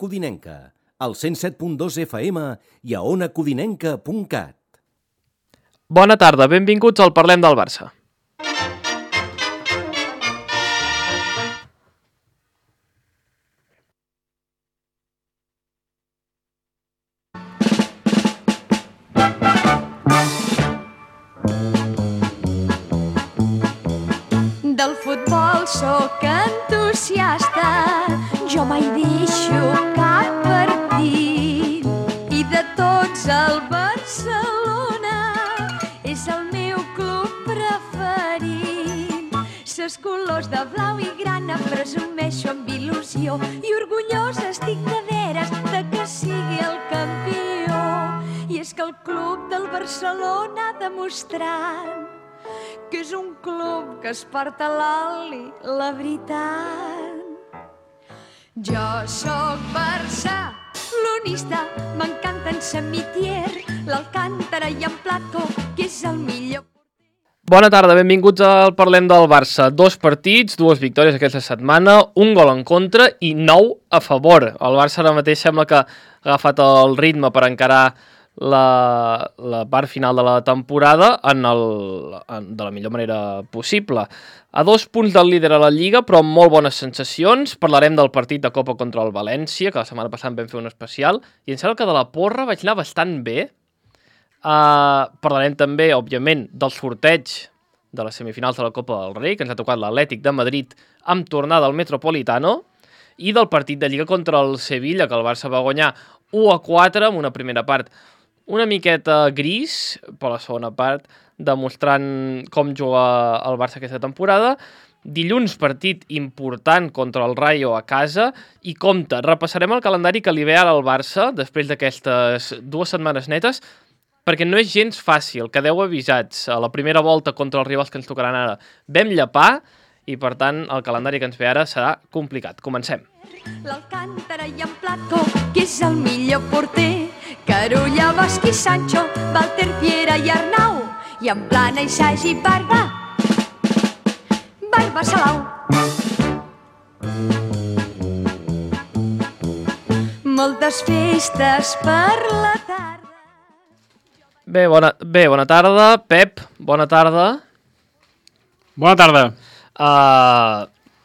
Codinenca, al 107.2 FM i a onacodinenca.cat. Bona tarda, benvinguts al Parlem del Barça. Del futbol sóc entusiasta, jo mai deixo cap partit. I de tots el Barcelona és el meu club preferit. Ses colors de blau i grana presumeixo amb il·lusió i orgullosa estic de veres de que sigui el campió. I és que el club del Barcelona ha demostrat que és un club que es porta l'oli, la veritat. Jo sóc barcelonista, m'encanten Samitier, l'Alcántara i en Plató, que és el millor. Bona tarda, benvinguts al Parlem del Barça. 2 partits, 2 victòries aquesta setmana, un gol en contra i 9 a favor. El Barça ara mateix sembla que ha agafat el ritme per encarar la part final de la temporada de la millor manera possible. A 2 punts del líder a la Lliga, però amb molt bones sensacions. Parlarem del partit de Copa contra el València, que la setmana passada vam fer un especial, i em sembla que de la porra vaig anar bastant bé. Parlarem també, òbviament, del sorteig de les semifinals de la Copa del Rei, que ens ha tocat l'Atlètic de Madrid amb tornada al Metropolitano, i del partit de Lliga contra el Sevilla, que el Barça va guanyar 1-4 amb una primera part una miqueta gris, però la segona part demostrant com juga el Barça aquesta temporada. Dilluns partit important contra el Rayo a casa i compte, repassarem el calendari que li ve ara al Barça després d'aquestes 2 setmanes netes, perquè no és gens fàcil, quedeu avisats. A la primera volta contra els rivals que ens tocaran ara vam llepar i per tant el calendari que ens ve ara serà complicat. Comencem. L'Alcántara i en Plató, que és el millor porter, Carulla, Bosch i Sancho, Walter, Piera i Arnau, i en Plana i Sagi i Barba Salau. Moltes festes per la tarda. Bé, bona tarda. Pep, bona tarda. Bona tarda.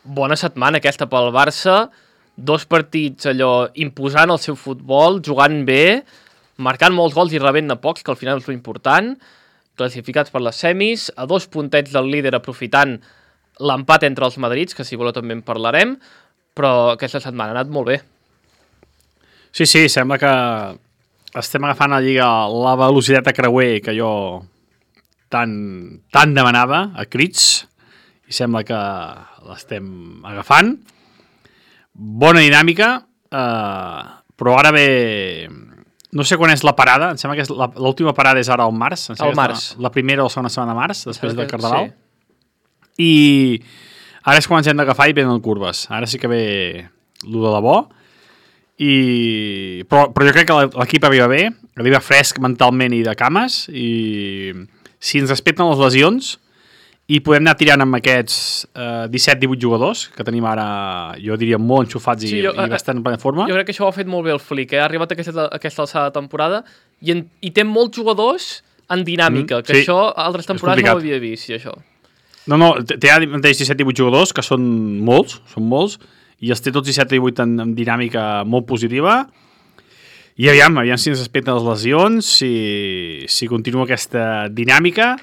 Bona setmana aquesta pel Barça. 2 partits allò imposant el seu futbol, jugant bé, marcant molts gols i rebent-ne pocs, que al final és l'important, classificats per les semis, a 2 puntets del líder aprofitant l'empat entre els madrids, que si voleu també en parlarem, però aquesta setmana ha anat molt bé. Sí, sembla que estem agafant a la Lliga la velocitat a creuer que jo tant demanava a crits, i sembla que l'estem agafant. Bona dinàmica, però ara ve... No sé quan és la parada, em sembla que l'última parada és ara al març. Al març. La primera o la segona setmana de març, després del Carnaval. Sí. I ara és quan ens hem d'agafar i venen curves. Ara sí que ve lo de debò. Però jo crec que l'equip arriba fresc mentalment i de cames, i si ens respecten les lesions i podem anar tirant amb aquests 17-18 jugadors que tenim ara, jo diria, molt enxufats i bastant en plena forma. Jo crec que això ho ha fet molt bé el Flick, Ha arribat a aquesta alçada de temporada i té molts jugadors en dinàmica, que sí, això altres temporades no ho havia vist, això. No, té ara mateix 17-18 jugadors, que són molts, i els té tots 17-18 en dinàmica molt positiva, i aviam si ens respecten les lesions, si continua aquesta dinàmica,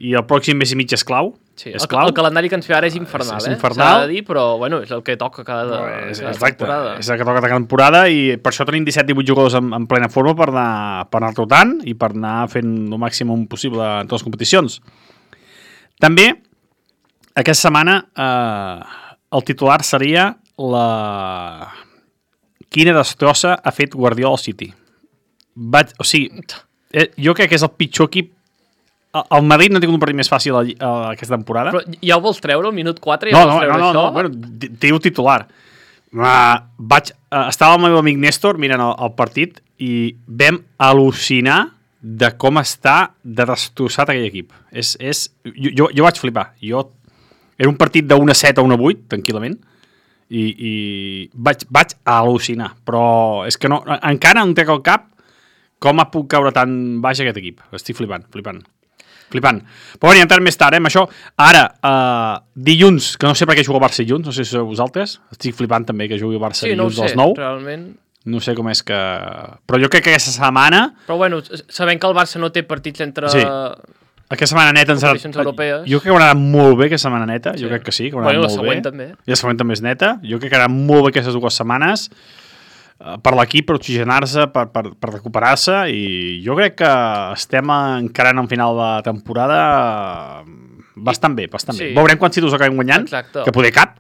i el pròxim mes i mig és clau. Sí, el calendari que ens fe ara és infernal, és infernal. S'ha de dir, però bueno, és el que toca cada temporada. És el que toca cada temporada, i per això tenim 17-18 jugadors en plena forma per anar rotant i per anar fent el màxim possible en totes les competicions. També, aquesta setmana, el titular seria quina destrossa ha fet Guardiola al City. Jo crec que és el pitjor equip. El Madrid no ha tingut un partit més fàcil aquesta temporada. Però ja ho vols treure, al minut 4? No, bueno, diu titular. Estava el meu amic Néstor mirant el partit i vam al·lucinar de com està de destrossat aquell equip. Jo vaig flipar. Era un partit de 1-7 a 1-8, tranquil·lament, i vaig al·lucinar, però és que no, encara no em trec al cap com ha puc caure tan baix aquest equip. Estic flipant. Però bueno, ja entrarem més tard, amb això. Ara, dilluns, que no sé per què juga el Barça dilluns, no sé si sou vosaltres, estic flipant també que jugui el Barça dilluns a les 9. Realment. No sé com és que... Però jo crec que aquesta setmana... Però bueno, sabent que el Barça no té partits entre... Sí. Aquesta setmana neta ens competicions europees. Jo crec que anarà molt bé aquesta setmana neta, jo crec que sí, que anarà la molt següent bé. també. I la següent també és neta. Jo crec que anarà molt bé aquestes 2 setmanes per l'equip, per oxigenar-se, per recuperar-se, i jo crec que estem encarant en final de temporada bastant bé. Veurem quants títols acabem guanyant, exacte, que poder cap,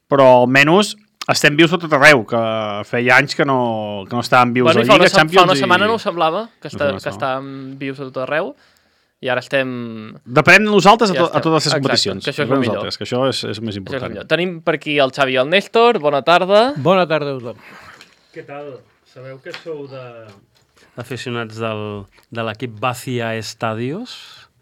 però almenys estem vius a tot arreu, que feia anys que no estàvem vius a Lliga, Champions... Fa una setmana no ho semblava, que estàvem vius a tot arreu, i ara estem... Depenem de nosaltres a totes les competicions. Que això és el millor. Que això és més important. Tenim per aquí el Xavi i el Néstor. Bona tarda. Bona tarda a tothom. Què tal? Sabeu que sou aficionats de l'equip Bacia Estadios?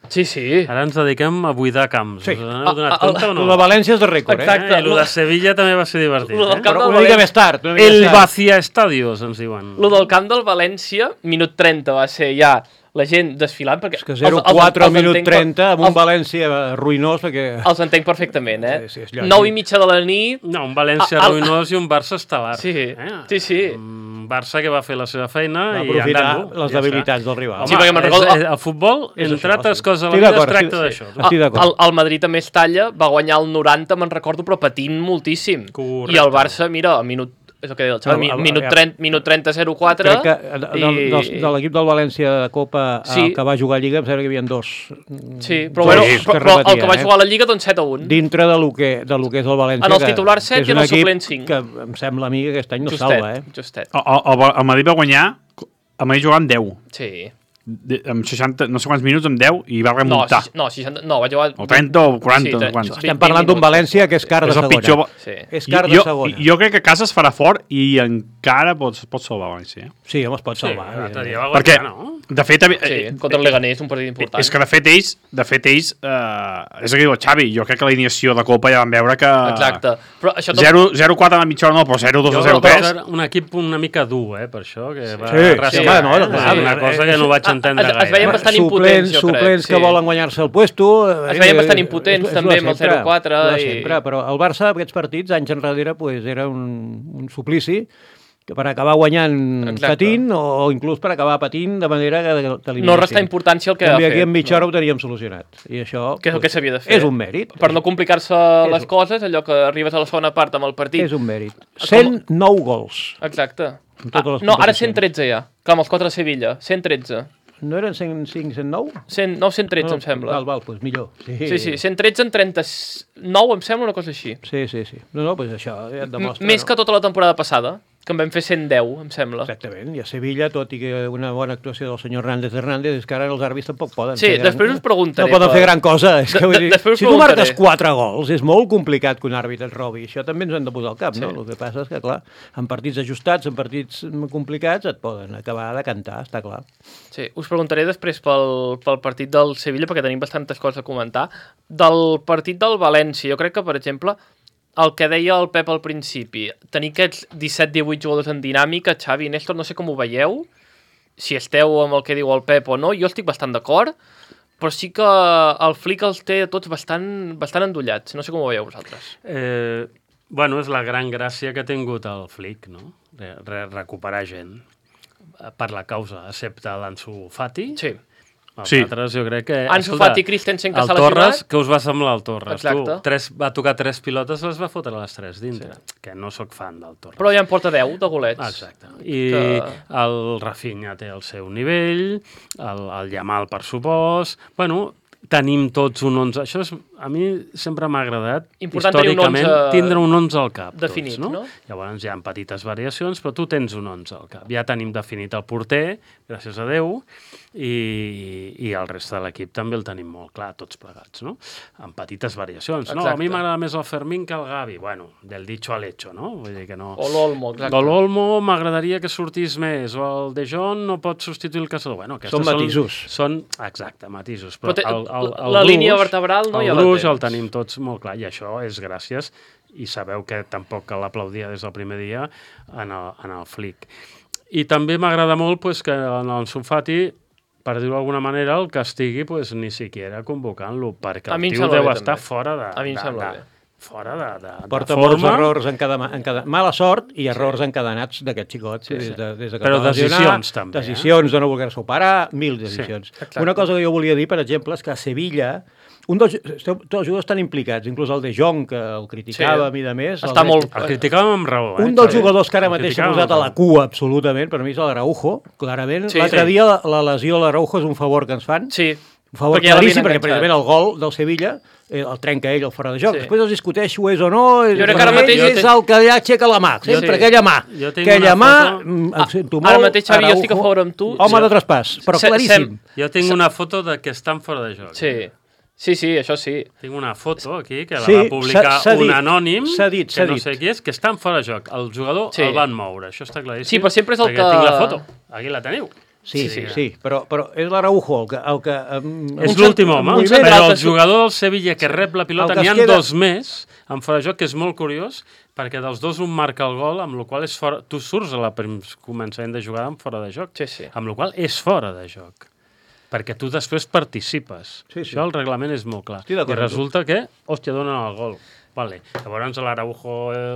Sí. Ara ens dediquem a buidar camps. Sí. Us n'heu donat compte o no? El de València és de rècord, Exacte. I el de Sevilla també va ser divertit. Però una mica més tard. El Bacia Estadios, ens diuen. Lo del camp del València, minut 30 va ser ja la gent desfilant, perquè... És que 0-4 al minut 30 amb un València ruïnós, perquè... Els entenc perfectament, Sí, és 9:30 de la nit... No, un València ruïnós i un Barça estel·lar. Sí. Un Barça que va fer la seva feina va i aprofitar andant-ho. les debilitats del rival. Sí, perquè me'n recordo... El futbol, entre altres coses a la Estic vida, es d'acord, tracta d'això. Estic d'acord. El Madrid a Mestalla va guanyar el 90, me'n recordo, però patint moltíssim. Correcte. I el Barça, mira, al minut... És el que deia el Xavi, minut 30, 0-4... Crec que de l'equip del València de Copa que va jugar a Lliga, em sembla que hi havia 2. Sí, però el que va jugar a la Lliga, doncs 7-1. Dintre de lo que és el València. En els titulars 7 i en el suplent 5. Que em sembla a mi que aquest any no salva, Justet. El Madrid va guanyar, el Madrid jugava amb 10. Sí. Amb 60, no sé quants minuts, amb 10, i va remuntar. No, 60, no, va jugar... O 30 o 40, quants. Estem parlant d'un València que és car de segona. És car de segona. Jo crec que casa es farà fort i encara pots salvar València. Sí, home, es pot salvar. L'altre dia va guanyar, no? De fet... contra el Leganés, un partit important. És que de fet ells, és el que diu el Xavi, jo crec que l'alineació de Copa ja van veure que... Exacte. 0-4 a la mitja hora no, però 0-2 o 0-3. Un equip una mica dur, per això, que va rascar. Una cosa que no vaig entendre gaire. Es veien bastant impotents, jo crec. Suplents que volen guanyar-se el puesto. Es veien bastant impotents, també, amb el 0-4. Sempre, però el Barça, aquests partits, anys enrere, era un suplici que per acabar guanyant patint o inclús per acabar patint de manera que t'eliminació. No restar importància al que ha fet. I aquí en mitja hora ho teníem solucionat. I això que és el que s'havia de fer. És un mèrit. Per no complicar-se les coses, allò que arribes a la segona part amb el partit. És un mèrit. 109 gols. Exacte. No, ara 113 ja, que amb els 4 de Sevilla. 113. No eren 105, 109? 113, em sembla. Val, doncs millor. Sí, 113 en 39, em sembla, una cosa així. Sí. No, doncs això ja et demostra. Més que tota la temporada passada, que en vam fer 110, em sembla. Exactament, i a Sevilla, tot i que una bona actuació del senyor Hernández, és que ara els àrbits tampoc poden fer gran... després us preguntaré. No poden fer gran cosa. És que, si tu marques 4 gols, és molt complicat que un àrbit et robi. Això també ens hem de posar al cap, no? El que passa és que, clar, en partits ajustats, en partits complicats, et poden acabar de cantar, està clar. Sí, us preguntaré després pel partit del Sevilla, perquè tenim bastantes coses a comentar. Del partit del València, jo crec que, per exemple, el que deia el Pep al principi, tenir aquests 17-18 jugadors en dinàmica, Xavi i Néstor, no sé com ho veieu, si esteu amb el que diu el Pep o no, jo estic bastant d'acord, però sí que el Flick els té tots bastant endollats, no sé com ho veieu vosaltres. Bueno, és la gran gràcia que ha tingut el Flick, no? Recuperar gent per la causa, excepte l'Ansu Fati. Sí. Els altres, jo crec que... Ansu Fati, Christensen, que s'ha lesionat. El Torres, què us va semblar el Torres? Exacte. Va tocar 3 pilotes, les va fotre les 3 dintre. Sí. Que no sóc fan del Torres. Però ja en porta 10 de golets. Exacte. I el Rafinha té el seu nivell, el Yamal, per supost... Bueno, tenim tots un 11. Això a mi sempre m'ha agradat, històricament, tindre un 11 al cap. Definit, tots, no? Llavors hi ha petites variacions, però tu tens un 11 al cap. Ja tenim definit el porter, gràcies a Déu, i el reste de l'equip també el tenim molt clar, tots plegats, no? Amb petites variacions. Exacte. No, a mi m'agrada més el Fermín que el Gavi. Bueno, del dicho al hecho, no? Vull dir que no... O l'Olmo, exacte. O l'Olmo m'agradaria que sortís més, o el De Jong no pot substituir el Caçador. Bueno, són matisos. Exacte, matisos. Però la línia vertebral no ja la tens. El tenim tots molt clar, i això és gràcies i sabeu que tampoc cal aplaudir des del primer dia en el Flick. I també m'agrada molt que en el Fati, per dir-ho d'alguna manera, el castigui ni siquiera convocant-lo, perquè el tio deu estar fora de... A mi em sembla bé. Fora de porta forma. molts errors mala sort i errors encadenats d'aquest xicot. Des que però decisions també. Decisions de no voler-se operar, 1000 decisions. Una cosa que jo volia dir, per exemple, és que a Sevilla tots els jugadors estan implicats, inclús el De Jong, que el criticàvem i de més. El criticàvem amb raó. Un dels jugadors que ara mateix s'ha posat a la cua, absolutament, per mi és l'Araujo, clarament. L'altre dia la lesió de l'Araujo és un favor que ens fan. Sí. Un favor claríssim, perquè precisament el gol del Sevilla el trenca ell el fora de joc. Després es discuteix si ho és o no. Jo crec que ara mateix és el que ja aixeca la mà, sempre aquella mà. Aquella mà, em sento molt. Ara mateix, Xavi, jo estic a favor amb tu. Home de traspàs, però claríssim. Jo tinc una foto de que estan fora de joc. Sí, això sí. Tinc una foto aquí que la va publicar un anònim, que no sé qui és, que estan fora de joc. El jugador el van moure, això està claríssim. Sí, però sempre és el que... Tinc la foto, aquí la teniu. Sí, però és l'Araujo el que... És l'últim home, però el jugador del Sevilla que rep la pilota n'hi ha dos més en fora de joc, que és molt curiós, perquè dels dos un marca el gol, amb la qual és fora... Tu surts a la començament de jugada amb fora de joc, amb la qual és fora de joc, perquè tu després participes. Això el reglament és molt clar. I resulta que, hòstia, donen el gol. Vale. Llavors l'Araujo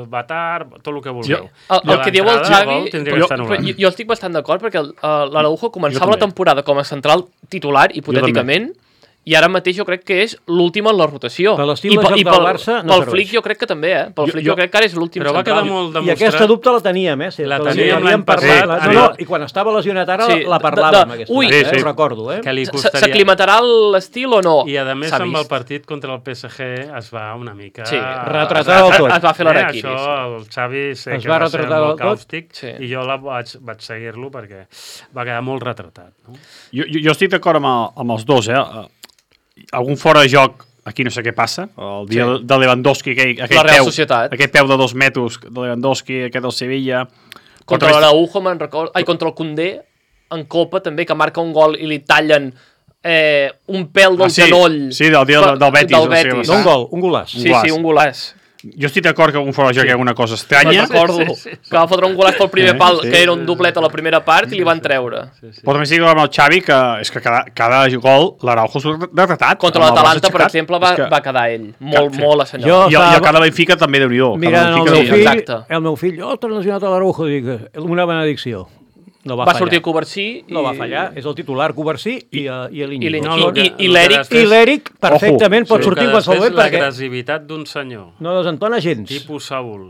va tard, tot el que vulgueu. El que diu el Xavi, jo estic bastant d'acord perquè l'Araujo començava la temporada com a central titular, hipotèticament, i ara mateix jo crec que és l'últim en la rotació. Per l'estil de joc del Barça no serveix. Pel Flick jo crec que també, Pel Flick jo crec que ara és l'últim central. Però va quedar molt demostrat. I aquesta dubte la teníem, La teníem l'any passat. I quan estava lesionat ara la parlàvem, aquesta. Ho recordo, S'aclimatarà l'estil o no? I a més amb el partit contra el PSG es va una mica... retratar del tot. Es va fer l'araquiris. Això el Xavi sé que va ser molt càustic i jo vaig seguir-lo perquè va quedar molt retratat. Jo estic d'acord amb els dos, algun fora de joc, aquí no sé què passa, el dia de Lewandowski, aquell peu de 2 metres de Lewandowski, aquest del Sevilla... Contra l'Araujo, me'n recordo, contra el Koundé, en Copa també, que marca un gol i li tallen un pèl del genoll. Sí, del dia del Betis. No un gol, un golàs. Sí, un golàs. Jo estic d'acord que un fora de joc hi ha alguna cosa estranya. Me'n recordo que va fotre un golàs pel primer pal, que era un doblet a la primera part, i li van treure. Però també estic d'acord amb el Xavi que és que cada gol l'Araujo és retratat. Contra l'Atalanta, per exemple, va quedar ell. Molt assenyalat. I a cada Benfica també Déu-n'hi-do. Mirant el meu fill, ostres, lesionat a l'Araujo, dic, una benedicció. No va sortir Covarsí. No va fallar, és el titular Covarsí i l'Iñigo. I l'Eric. I l'Eric perfectament pot sortir qualsevol moment perquè... L'agressivitat d'un senyor. No desentona gens. Tipus Saúl.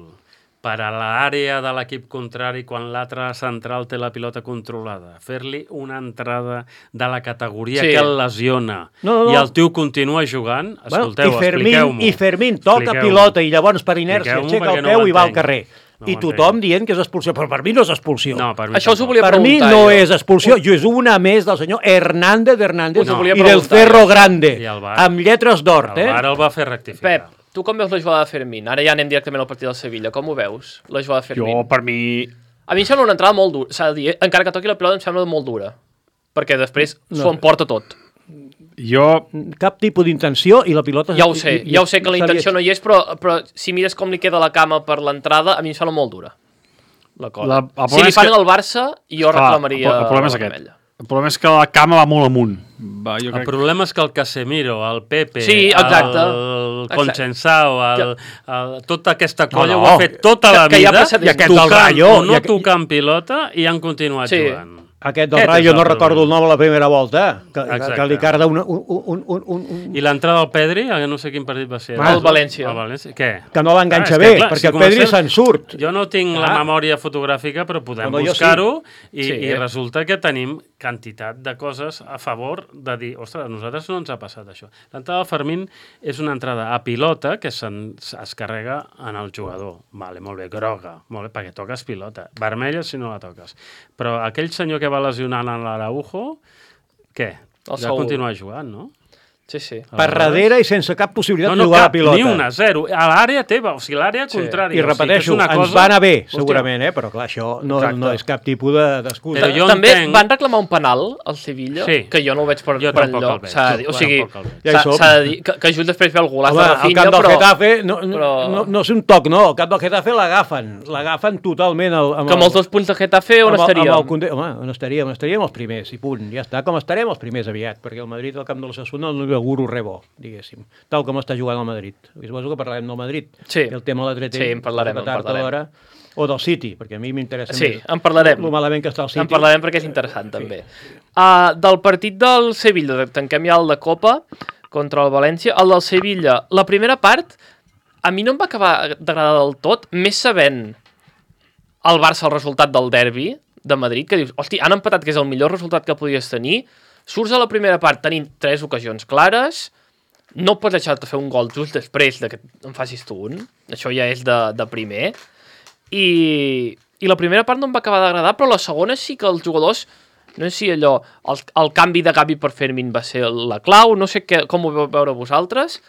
Per a l'àrea de l'equip contrari quan l'altre central té la pilota controlada. Fer-li una entrada de la categoria que el lesiona. I el tio continua jugant. Escolteu, expliqueu-m'ho. I Fermín toca pilota i llavors per inèrcia aixeca el peu i va al carrer. I tothom dient que és expulsió, però per mi no és expulsió. Això us ho volia preguntar. Per mi no és expulsió, és una més del senyor Hernández i del Cerro Grande, amb lletres d'or. Ara el va fer rectificar. Pep, tu com veus la jugada de Fermín? Ara ja anem directament al partit del Sevilla. Com ho veus, la jugada de Fermín? Jo, per mi... A mi em sembla una entrada molt dura, s'ha de dir, encara que toqui la pilota em sembla molt dura, perquè després s'ho emporta tot. Cap tipus d'intenció i la pilota... Ja ho sé que la intenció no hi és, però si mires com li queda la cama per l'entrada, a mi em sembla molt dura. La cosa. Si li fan al Barça, jo reclamaria el problema és aquest. El problema és que la cama va molt amunt. El problema és que el Casemiro, el Pepe, el Concensao, tota aquesta colla ho ha fet tota la vida, tocant o no tocant pilota, i han continuat jugant. Aquest del Rayo, no recordo el nom a la primera volta, que li carda un... I l'entrada del Pedri, no sé quin partit va ser. El València. Què? Que no l'enganxa bé, perquè el Pedri se'n surt. Jo no tinc la memòria fotogràfica, però podem buscar-ho, i resulta que tenim quantitat de coses a favor de dir, ostres, a nosaltres no ens ha passat això. L'entrada del Fermín és una entrada a pilota que es carrega en el jugador. Vale, molt bé, groga, molt bé, perquè toques pilota. Vermella si no la toques. Però aquell senyor que va lesionant en l'Araujo, què? Ja continua jugant, no? Sí. Per darrere i sense cap possibilitat de jugar la pilota. Ni una, zero. A l'àrea teva, o sigui, l'àrea contrària. I repeteixo, ens va anar bé, segurament, però clar, això no és cap tipus d'excusa. També van reclamar un penal al Sevilla, que jo no ho veig per enlloc. O sigui, s'ha de dir que just després ve el golaç de Rafinha, però... Al camp del Getafe, no és un toc, no, al camp del Getafe l'agafen totalment. Que amb els 2 punts del Getafe on estaríem? Home, on estaríem els primers, i punt, ja està, com estarem els primers aviat, perquè el Madrid al camp de l'Osasuna no auguro res bo, diguéssim, tal com està jugant el Madrid. Suposo que parlarem del Madrid, el tema de l'Atlètic, en parlarem. O del City, perquè a mi m'interessa més. En parlarem. Lo malament que està el City. En parlarem perquè és interessant, també. Del partit del Sevilla, tanquem ja el de Copa contra el València. El del Sevilla, la primera part, a mi no em va acabar d'agradar del tot, més sabent el Barça el resultat del derbi de Madrid, que dius, hosti, han empatat, que és el millor resultat que podies tenir. Surts a la primera part tenint 3 ocasions clares, no pots deixar-te fer un gol just després que en facis tu un, això ja és de primer, i la primera part no em va acabar d'agradar, però la segona sí que els jugadors, no sé si allò, el canvi de Gavi per Fermín va ser la clau, no sé com ho vau veure vosaltres,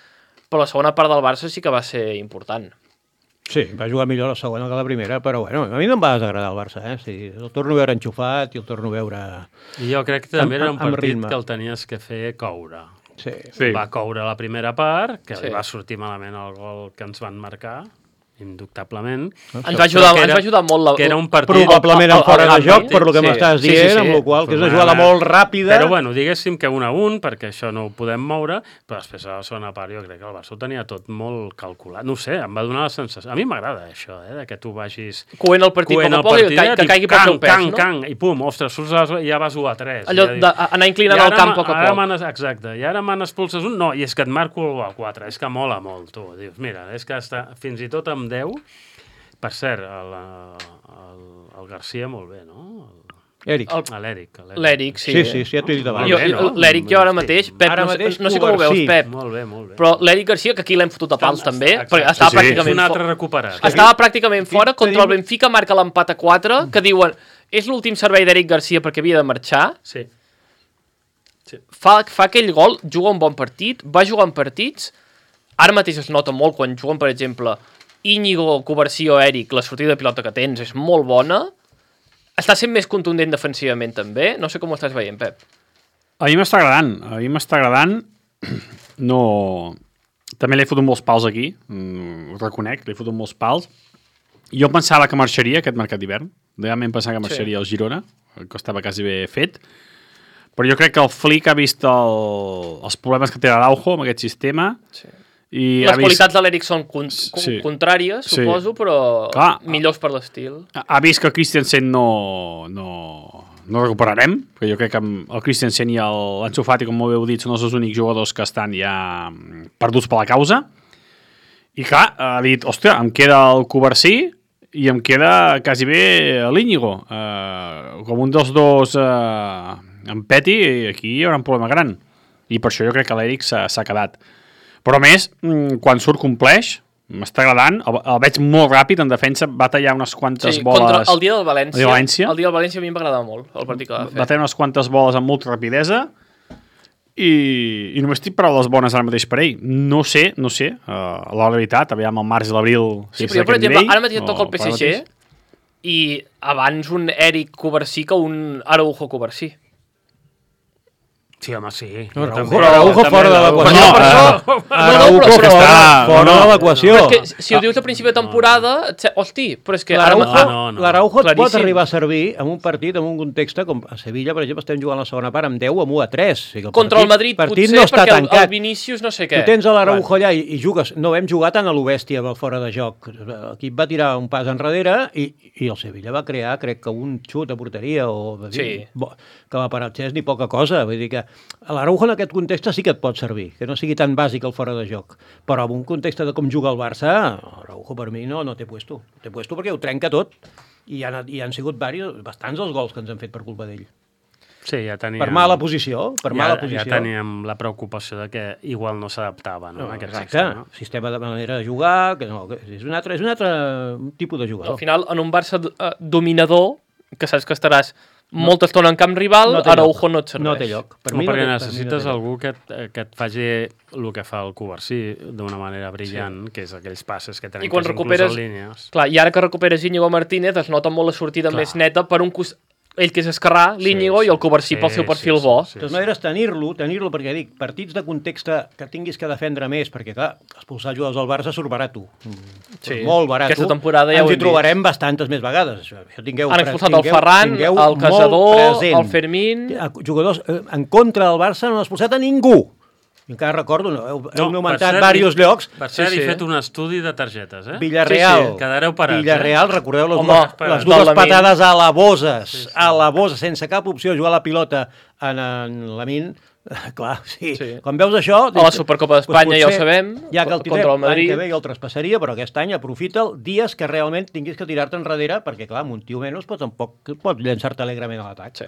però la segona part del Barça sí que va ser important. Sí, va jugar millor la segona que la primera, però bueno, a mi no em va desagradar el Barça, Sí, el torno a veure enxufat i el torno a veure... I jo crec que també era un partit que el tenies que fer coure. Sí. Va coure la primera part, que li va sortir malament el gol que ens van marcar, indubtablement. Ens va ajudar molt que era un partit... Probablement en fora de joc, per lo que m'estàs dient, amb la qual que és una jugada molt ràpida. Però bueno, diguéssim que 1-1, perquè això no ho podem moure, però després a la segona part jo crec que el Barça ho tenia tot molt calculat. No sé, em va donar la sensació... A mi m'agrada això, que tu vagis... Coent el partit poc a poc i que caigui pel seu pes, no? I pum, ostres, surts i ja vas 1-3. Allò d'anar inclinant el camp poc a poc. Exacte, i ara me n'expulses un... No, i és que et marco el 4, és que mola molt, tu. Dius, mira, és que fins i tot amb 10, per cert, el Garcia molt bé, no? L'Eric, sí, ja t'ho he dit abans. L'Eric jo ara mateix, Pep, no sé com ho veus, Pep, molt bé. Però l'Eric Garcia, que aquí l'hem fotut a pals també, perquè estava pràcticament estava pràcticament fora, contra el Benfica marca l'empat a 4, que diuen, és l'últim servei d'Eric Garcia perquè havia de marxar, fa aquell gol, juga un bon partit, va jugar en partits, ara mateix es nota molt quan juguen, per exemple, Íñigo, Covarsí o Eric, la sortida de pilota que tens és molt bona, està sent més contundent defensivament també, no sé com ho estàs veient, Pep. A mi m'està agradant, no... També l'he fotut molts pals aquí, ho reconec, l'he fotut molts pals. Jo pensava que marxaria aquest mercat d'hivern, realment pensava que marxaria el Girona, que estava quasi bé fet, però jo crec que el Flick ha vist els problemes que té l'Araujo amb aquest sistema. I les qualitats de l'Eric són contràries, suposo, però millors per l'estil. Ha vist que el Christensen no recuperarem, perquè jo crec que el Christensen i l'Ansu Fati, com heu dit, són els dos únics jugadors que estan ja perduts per la causa. I clar, ha dit, hòstia, em queda el Covarsí i em queda quasi bé l'Íñigo. Com un dels dos em peti, aquí hi haurà un problema gran. I per això jo crec que l'Eric s'ha quedat. Però a més, quan surt compleix, m'està agradant, el veig molt ràpid, en defensa va tallar unes quantes boles... El dia del València, a mi em va agradar molt, el partit que va fer. Va tallar unes quantes boles amb molta rapidesa i només tinc paraules bones ara mateix per ell. No sé, la realitat, aviam el març i l'abril... Sí, però jo, per exemple, ara mateix et toca el PSG i abans un Eric Covarsí que un Araujo Covarsí. Sí, home, sí. Araujo fora de l'equació. Araujo fora de l'equació. Si ho dius a principi de temporada, hosti, però és que... L'Araujo et pot arribar a servir en un partit, en un context com a Sevilla, per exemple, estem jugant la segona part amb 10 amb 1-3. Contra el Madrid potser, perquè el Vinícius no sé què. Tu tens l'Araujo allà i jugues. No vam jugar tant a l'Obèstia fora de joc. L'equip va tirar un pas enrere i el Sevilla va crear, crec que un xut a porteria que va parar el Xes ni poca cosa. Vull dir que l'Araujo en aquest context sí que et pot servir, que no sigui tan bàsic el fora de joc. Però en un context de com juga el Barça, l'Araujo per mi no té puesto. Té puesto perquè ho trenca tot. I han sigut bastants els gols que ens han fet per culpa d'ell. Sí, ja teníem... Per mala posició. Ja teníem la preocupació de que igual no s'adaptava, no? Exacte. Sistema de manera de jugar, que és un altre tipus de jugador. Al final, en un Barça dominador, que saps que estaràs molta estona en camp rival, Araujo no et serveix. No té lloc. Perquè necessites algú que et faci el que fa el Covarsí d'una manera brillant, que és aquells passes que trenques inclús en línies. Clar, i ara que recuperes Íñigo Martínez es nota molt la sortida més neta per un costat. Ell que és esquerrà, l'Íñigo, i el Covarsí pel seu perfil bo. De totes maneres, tenir-lo, perquè dic, partits de context que tinguis que defendre més, perquè clar, expulsar jugadors al Barça surt barat. Molt barat. Aquesta temporada ja ens hi trobarem bastantes més vegades. Han expulsat el Ferran, el Casador, el Fermín... Jugadors en contra del Barça no han expulsat a ningú. I encara recordo, heu nomentat diversos llocs. Per cert, he fet un estudi de targetes, Villarreal. Quedareu parats. Villarreal, recordeu les dues patades a la Boses, sense cap opció de jugar la pilota en Lamine. Clar, sí. Quan veus això... A la Supercopa d'Espanya ja ho sabem, ja que el contra el Madrid. L'any que ve ja el traspassaria, però aquest any aprofita'l dies que realment tinguis que tirar-te enrere, perquè clar, amb un tio menys tampoc pot llançar-te alegrement a l'atac.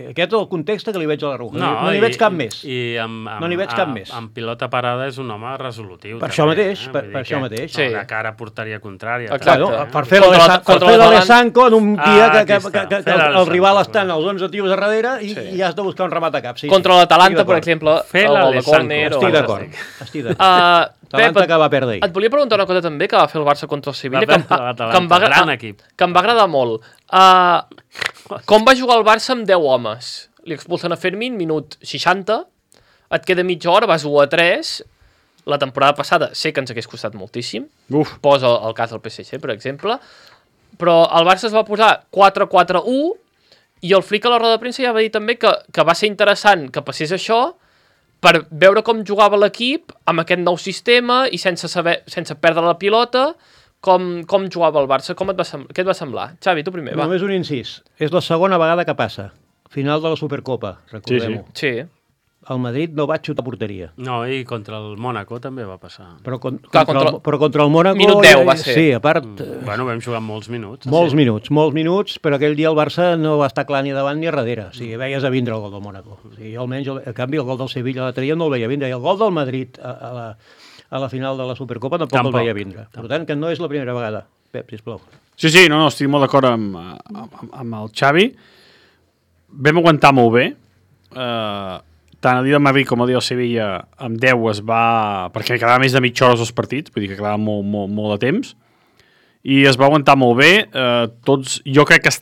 Aquest és el context que li veig a l'Araujo. No n'hi veig cap més. No n'hi veig cap més. Amb pilota parada és un home resolutiu. Per això mateix, per això mateix. De cara a porteria contrària. Per fer l'Alessanco en un dia que el rival està en els 11 tios a darrere i has de buscar un remat a cap. Contra l'Atalanta, per exemple, el de córner... Estic d'acord. L'Atalanta que va perdre. Et volia preguntar una cosa també que va fer el Barça contra el Sevilla, que em va agradar molt. Com va jugar el Barça amb 10 homes? Li expulsen a Fermín, minut 60, et queda mitja hora, vas 1-3, la temporada passada sé que ens hagués costat moltíssim, posa el cas del PSG, per exemple, però el Barça es va posar 4-4-1, i el Flick a la roda de premsa ja va dir també que va ser interessant que passés això per veure com jugava l'equip amb aquest nou sistema i sense perdre la pilota, com jugava el Barça. Què et va semblar? Xavi, tu primer, va. Només un incís. És la segona vegada que passa. Final de la Supercopa, recordem-ho. Sí. El Madrid no va xutar porteria. No, i contra el Mónaco també va passar. Però contra el Mónaco... Minut 10 va ser. Sí, a part... Bueno, vam jugar molts minuts. Molts minuts, però aquell dia el Barça no va estar clar ni davant ni a darrere. O sigui, veies a vindre el gol del Mónaco. O sigui, almenys, en canvi, el gol del Sevilla l'altre dia no el veia vindre. I el gol del Madrid a la final de la Supercopa tampoc el veia vindre. Per tant, que no és la primera vegada. Pep, sisplau. Sí, no, estic molt d'acord amb el Xavi. Vam aguantar molt bé. Tant el dia del Madrid com el dia del Sevilla amb 10 es va... perquè quedava més de mitja hora els partits, vull dir que quedava molt de temps, i es va aguantar molt bé. Tots, jo crec que es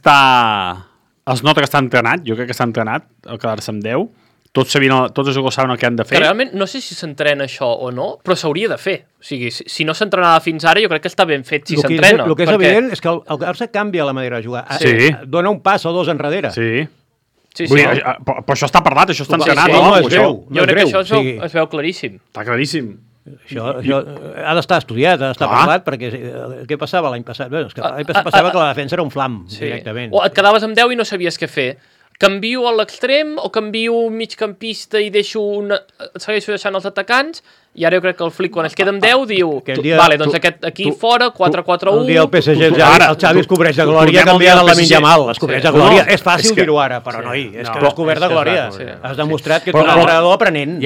nota que està entrenat, el quedar-se amb 10. Tots els jugadors saben el que han de fer. Que realment, no sé si s'entrena això o no, però s'hauria de fer. O sigui, si no s'entrenava fins ara, jo crec que està ben fet si s'entrena. El que és evident és que el Barça canvia la manera de jugar. Dona un pas o dos enrere. Sí. Però això està parlat, això està entrenat. No es veu. Jo crec que això es veu claríssim. Està claríssim. Això ha d'estar estudiat, ha d'estar parlat, perquè què passava l'any passat? Bé, l'any passat passava que la defensa era un flam, directament. O et quedaves amb 10 i no sabies què fer. Canvio a l'extrem o canvio un migcampista i segueixo deixant els atacants, i ara jo crec que el Flick, quan es queda amb 10, diu vale, doncs aquest aquí fora, 4-4-1... Un dia el PSG, el Xavi es cobreix de glòria canviant el Lamine Yamal, es cobreix de glòria. És fàcil dir-ho ara, però noi, és que has cobert de glòria. Has demostrat que ets un entrenador aprenent. I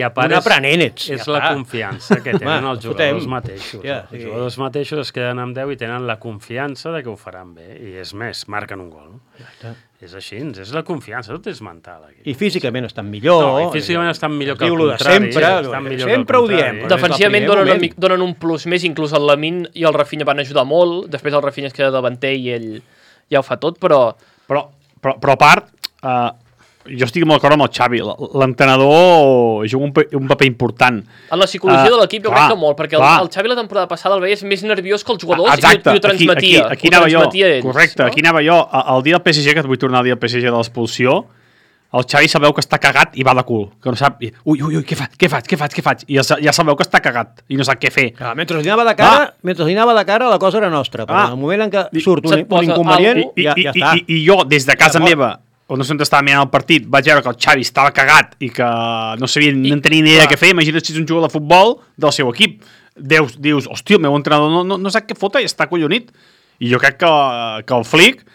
a part un aprenent ets. És la confiança que tenen els jugadors mateixos. Els jugadors mateixos es queden amb 10 i tenen la confiança de que ho faran bé. I és més, marquen un gol. És així, és la confiança, tot és mental. Aquí. I físicament estan millor. No, i físicament estan millor que el contrari. Sempre ho diem. Defensivament donen un plus més, inclús el Lamine i el Rafinha van ajudar molt, després el Rafinha es queda davanter i ell ja ho fa tot, però a part, jo estic molt d'acord amb el Xavi, l'entrenador juga un paper important. En la psicologia de l'equip jo crec que molt, perquè el Xavi la temporada passada el veies més nerviós que els jugadors i ho transmetia. Aquí anava jo, correcte, aquí anava jo. El dia del PSG, que et vull tornar al dia del PSG de l'expulsió, el Xavi sabeu que està cagat i va de cul, que no sap, ui, què faig? I ja sabeu que està cagat i no sap què fer. Mentre li anava de cara, la cosa era nostra, però en el moment en què surt un inconvenient, ja està. I jo, des de casa meva, on no sé on estava mirant el partit, vaig veure que el Xavi estava cagat i que no tenia ni idea què fer. Imagina't si ets un jugador de futbol del seu equip. Dius, hòstia, el meu entrenador no sap què fotre i està collonit. I jo crec que el Flick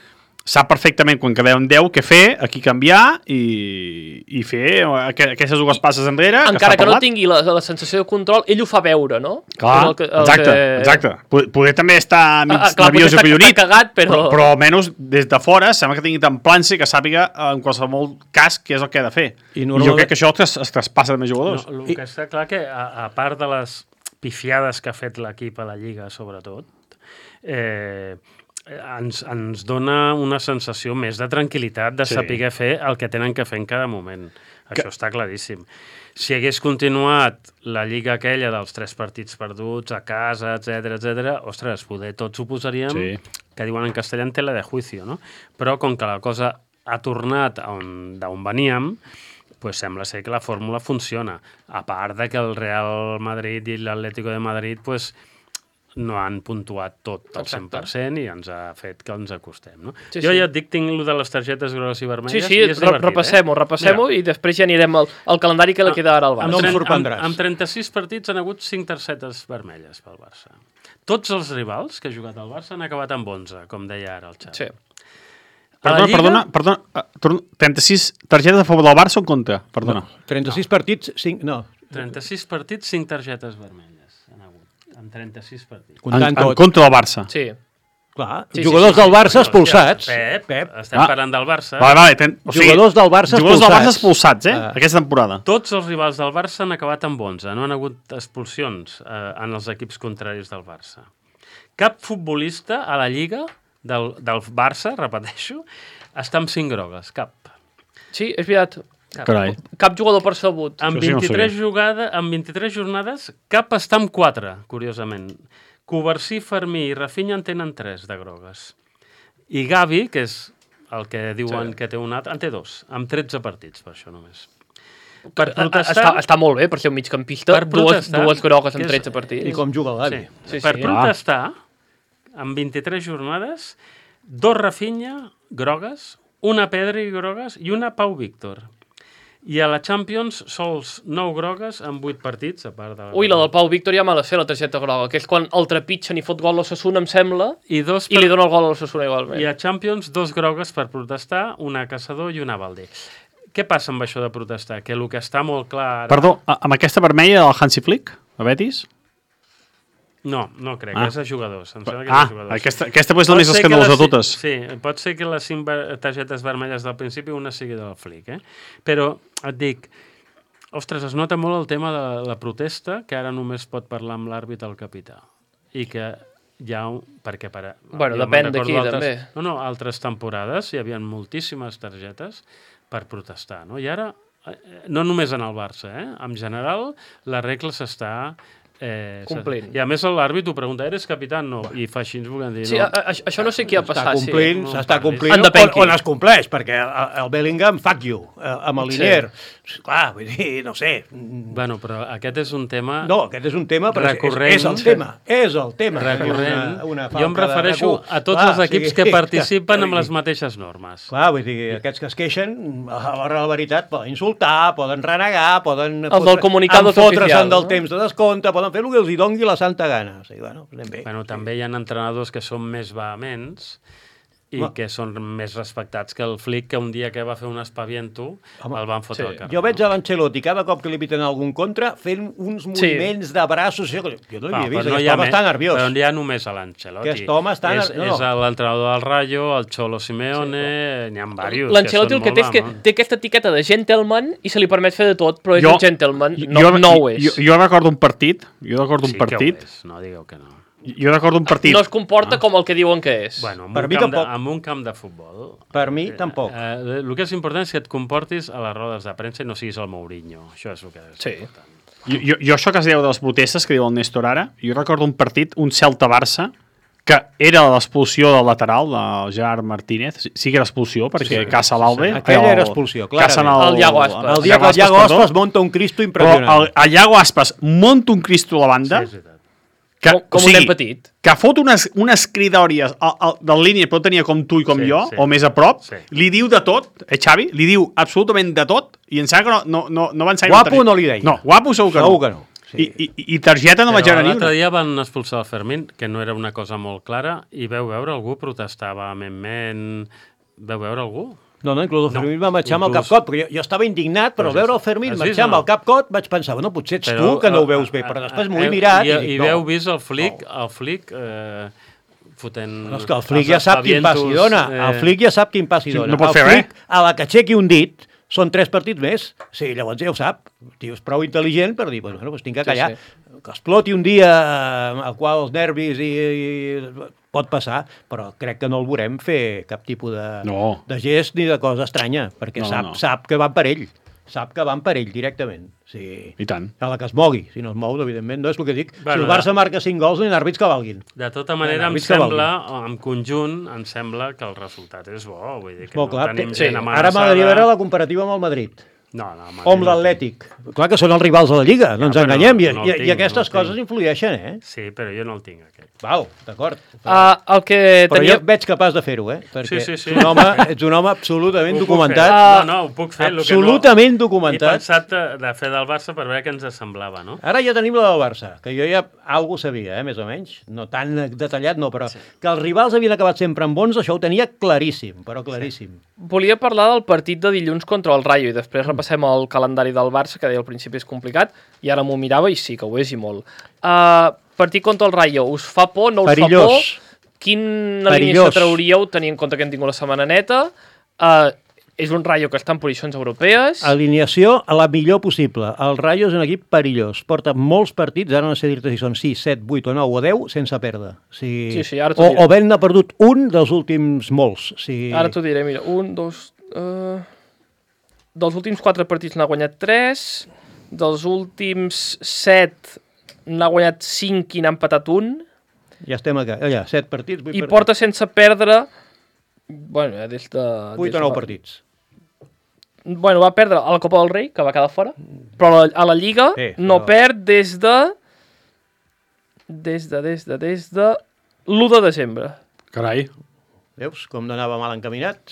sap perfectament quan quedem 10 què fer, aquí canviar i fer aquestes dues passes enrere. Encara que no tingui la sensació de control, ell ho fa veure, no? Clar, exacte. Poder també estar mig nerviós i collonit, cagat, però almenys des de fora sembla que tingui tant plança que sàpiga en qualsevol cas què és el que ha de fer. I jo crec que això es traspassa de més jugadors. No, el que està clar que, a part de les pifiades que ha fet l'equip a la Lliga, sobretot, ens dona una sensació més de tranquil·litat de saber fer el que tenen que fer en cada moment. Això està claríssim. Si hagués continuat la lliga aquella dels 3 partits perduts a casa, etc, ostres, poder tots ho posaríem, que diuen en castellà en tela de juicio, no? Però com que la cosa ha tornat d'on veníem, pues sembla ser que la fórmula funciona. A part de que el Real Madrid i l'Atlético de Madrid pues, no han puntuat tot al 100% i ens ha fet que ens acostem. No? Jo ja et dic, tinc el de les targetes grogues i vermelles. Sí, repassem-ho i després ja anirem al calendari que li queda ara al Barça. No em sorprendràs. Amb 36 partits han hagut 5 targetes vermelles pel Barça. Tots els rivals que ha jugat el Barça han acabat amb 11, com deia ara el Xavi. Sí. Perdona, 36 targetes a favor del Barça o en contra? Perdona. 36 partits, 5... No. 36 partits, 5 targetes vermelles han hagut. En 36 partits. En contra del Barça. Sí. Clar, jugadors del Barça expulsats. Pep, estem parlant del Barça. Jugadors del Barça expulsats, aquesta temporada. Tots els rivals del Barça han acabat amb 11. No han hagut expulsions en els equips contraris del Barça. Cap futbolista a la Lliga del Barça, repeteixo, està amb 5 grogues. Cap. Sí, és veritat. Cap jugador percebut. En 23 jornades, cap està amb 4, curiosament. Covarsí, Fermí i Rafinha en tenen 3 de grogues. I Gavi, que és el que diuen que té un altre, en té 2, amb 13 partits, per això només. Per protestar... Està molt bé, per ser un migcampista, dues grogues en 13 partits. I com juga el Gavi. Per protestar, en 23 jornades, 2 Rafinha, grogues, una Pedri, grogues, i una Pau Víctor. I a la Champions, sols 9 grogues en 8 partits, a part de... Ui, la del Pau Víctor ja me la sé, la targeta groga, que és quan el trepitgen i fot gol a l'Osasuna, em sembla, i li dona el gol a l'Osasuna igualment. I a Champions, 2 grogues per protestar, una a Caçador i una a Valdé. Què passa amb això de protestar? Que el que està molt clar... Perdó, amb aquesta vermella del Hansi Flick, a Betis? No crec, és a jugadors. Em sembla que és a jugadors. Aquesta és la més escandalosa de totes. Sí, pot ser que les 5 targetes vermelles del principi una sigui del Flick, Però et dic, ostres, es nota molt el tema de la protesta, que ara només pot parlar amb l'àrbit el capità. I que hi ha perquè depèn d'aquí, també. No, altres temporades hi havia moltíssimes targetes per protestar, no? I ara, no només en el Barça, en general, la regla s'està... complint. I a més l'àrbit ho pregunta, eres capità? No. I fa així ens vulguem dir. Sí, això no sé qui ha passat. S'està complint on es compleix, perquè el Bellingham, fuck you, amb el Linier. Clar, vull dir, no sé. Bueno, però aquest és un tema... No, aquest és un tema, però és el tema. Recurrent. Jo em refereixo a tots els equips que participen amb les mateixes normes. Clar, vull dir, aquests que es queixen, a l'hora de la veritat, poden insultar, poden renegar, poden... El del comunicat fotre's-en del temps de descompte, poden fer el que els hi dongui la santa gana. O sigui, anem bé. També hi ha entrenadors que són més vehements i que són més respectats que el Flick, que un dia que va fer un espaviento el van fotre al carrer. Jo veig a l'Ancelotti cada cop que li piten algun contra fent uns moviments de braços. Jo no l'havia vist, aquest home està nerviós. Però no hi ha només a l'Ancelotti. Aquest home està nerviós. És l'entrenador del Rayo, el Cholo Simeone, n'hi ha diversos. L'Ancelotti el que té és que té aquesta etiqueta de gentleman i se li permet fer de tot, però és un gentleman, no ho és. Jo recordo un partit, Sí que ho és, no digueu que no. Jo recordo un partit... No es comporta com el que diuen que és. Bueno, en un camp de futbol... Per mi, tampoc. El que és important és que et comportis a les rodes de premsa i no siguis el Mourinho. Això és el que és important. Jo això que es diu de les protestes, que diu el Néstor ara, jo recordo un partit, un Celta-Barça, que era l'expulsió del lateral, del Gerard Martínez. Sí que era expulsió, perquè caça l'Albe. Aquella era expulsió, clarament. El Iago Aspas. El dia que el Iago Aspas monta un Cristo impressionant. Però el Iago Aspas monta un Cristo a la banda... Com un nen petit. Que fot unes cridòries del línia, però tenia com tu i com jo, o més a prop, li diu de tot, Xavi, li diu absolutament de tot, i em sembla que no va ensenyar... Guapo no li deia. No, guapo segur que no. I targeta no vaig anar ni una. L'altre dia van expulsar el Fermín, que no era una cosa molt clara, i veu veure algú protestar vehementment Veu veure algú? No, inclús el Fermín va marxar amb el Capcot, perquè jo estava indignat, però veure el Fermín marxar amb el Capcot vaig pensar, bueno, potser ets tu que no ho veus bé, però després m'ho he mirat i dic, no. I heu vist el Flick fotent... No, és que el Flick ja sap quin pas hi dona, el Flick ja sap quin pas hi dona. No pot fer res. A la que aixequi un dit, són 3 partits més. Sí, llavors ja ho sap. El tio és prou intel·ligent per dir, bueno, doncs tinc que callar. Que exploti un dia al qual els nervis i pot passar, però crec que no el veurem fer cap tipus de gest ni de cosa estranya, perquè sap que van per ell. Sap que van per ell directament. Sí. I tant. A la que es mogui. Si no es mou, evidentment, no és el que dic. Bueno, si el Barça marca 5 gols, no hi ha àrbits que valguin. De tota manera, em sembla, en conjunt, em sembla que el resultat és bo. Vull dir que no tenim gent amenaçada. Ara m'agradaria veure la comparativa amb el Madrid. No, o amb l'Atlètic. Clar que són els rivals de la Lliga, no ens enganyem, i aquestes coses influeixen, Sí, però jo no el tinc, aquest. Val, d'acord. Però jo veig capaç de fer-ho, perquè ets un home absolutament documentat. No, ho puc fer. Absolutament documentat. He pensat de fer del Barça per veure què ens semblava, no? Ara ja tenim la del Barça, que jo ja algú sabia, més o menys. No tan detallat, no, però que els rivals havien acabat sempre amb bons, això ho tenia claríssim, però claríssim. Volia parlar del partit de dilluns contra el Rayo i després repassem el calendari del Barça, que deia al principi és complicat, i ara m'ho mirava i sí, que ho és i molt. Partit contra el Rayo, us fa por, no us fa por? Quina alineació trauríeu, tenint en compte que hem tingut la setmana neta? És un Rayo que està en posicions europees. Alineació a la millor possible. El Rayo és un equip perillós. Porta molts partits, ara no sé dir-te si són 6, 7, 8 o 9 o 10, sense perdre. Sí, ara t'ho diré. O ben n'ha perdut un dels últims molts. Ara t'ho diré, mira, 1, 2... Dels últims 4 partits n'ha guanyat 3, dels últims 7 n'ha guanyat 5 i n'ha empatat 1. Ja estem allà, 7 partits, 8 partits. I porta sense perdre, bueno, des de... 8 o 9 partits. Bueno, va perdre a la Copa del Rei, que va quedar fora, però a la Lliga no perd des de l'1 de desembre. Carai. Veus com no anava mal encaminat?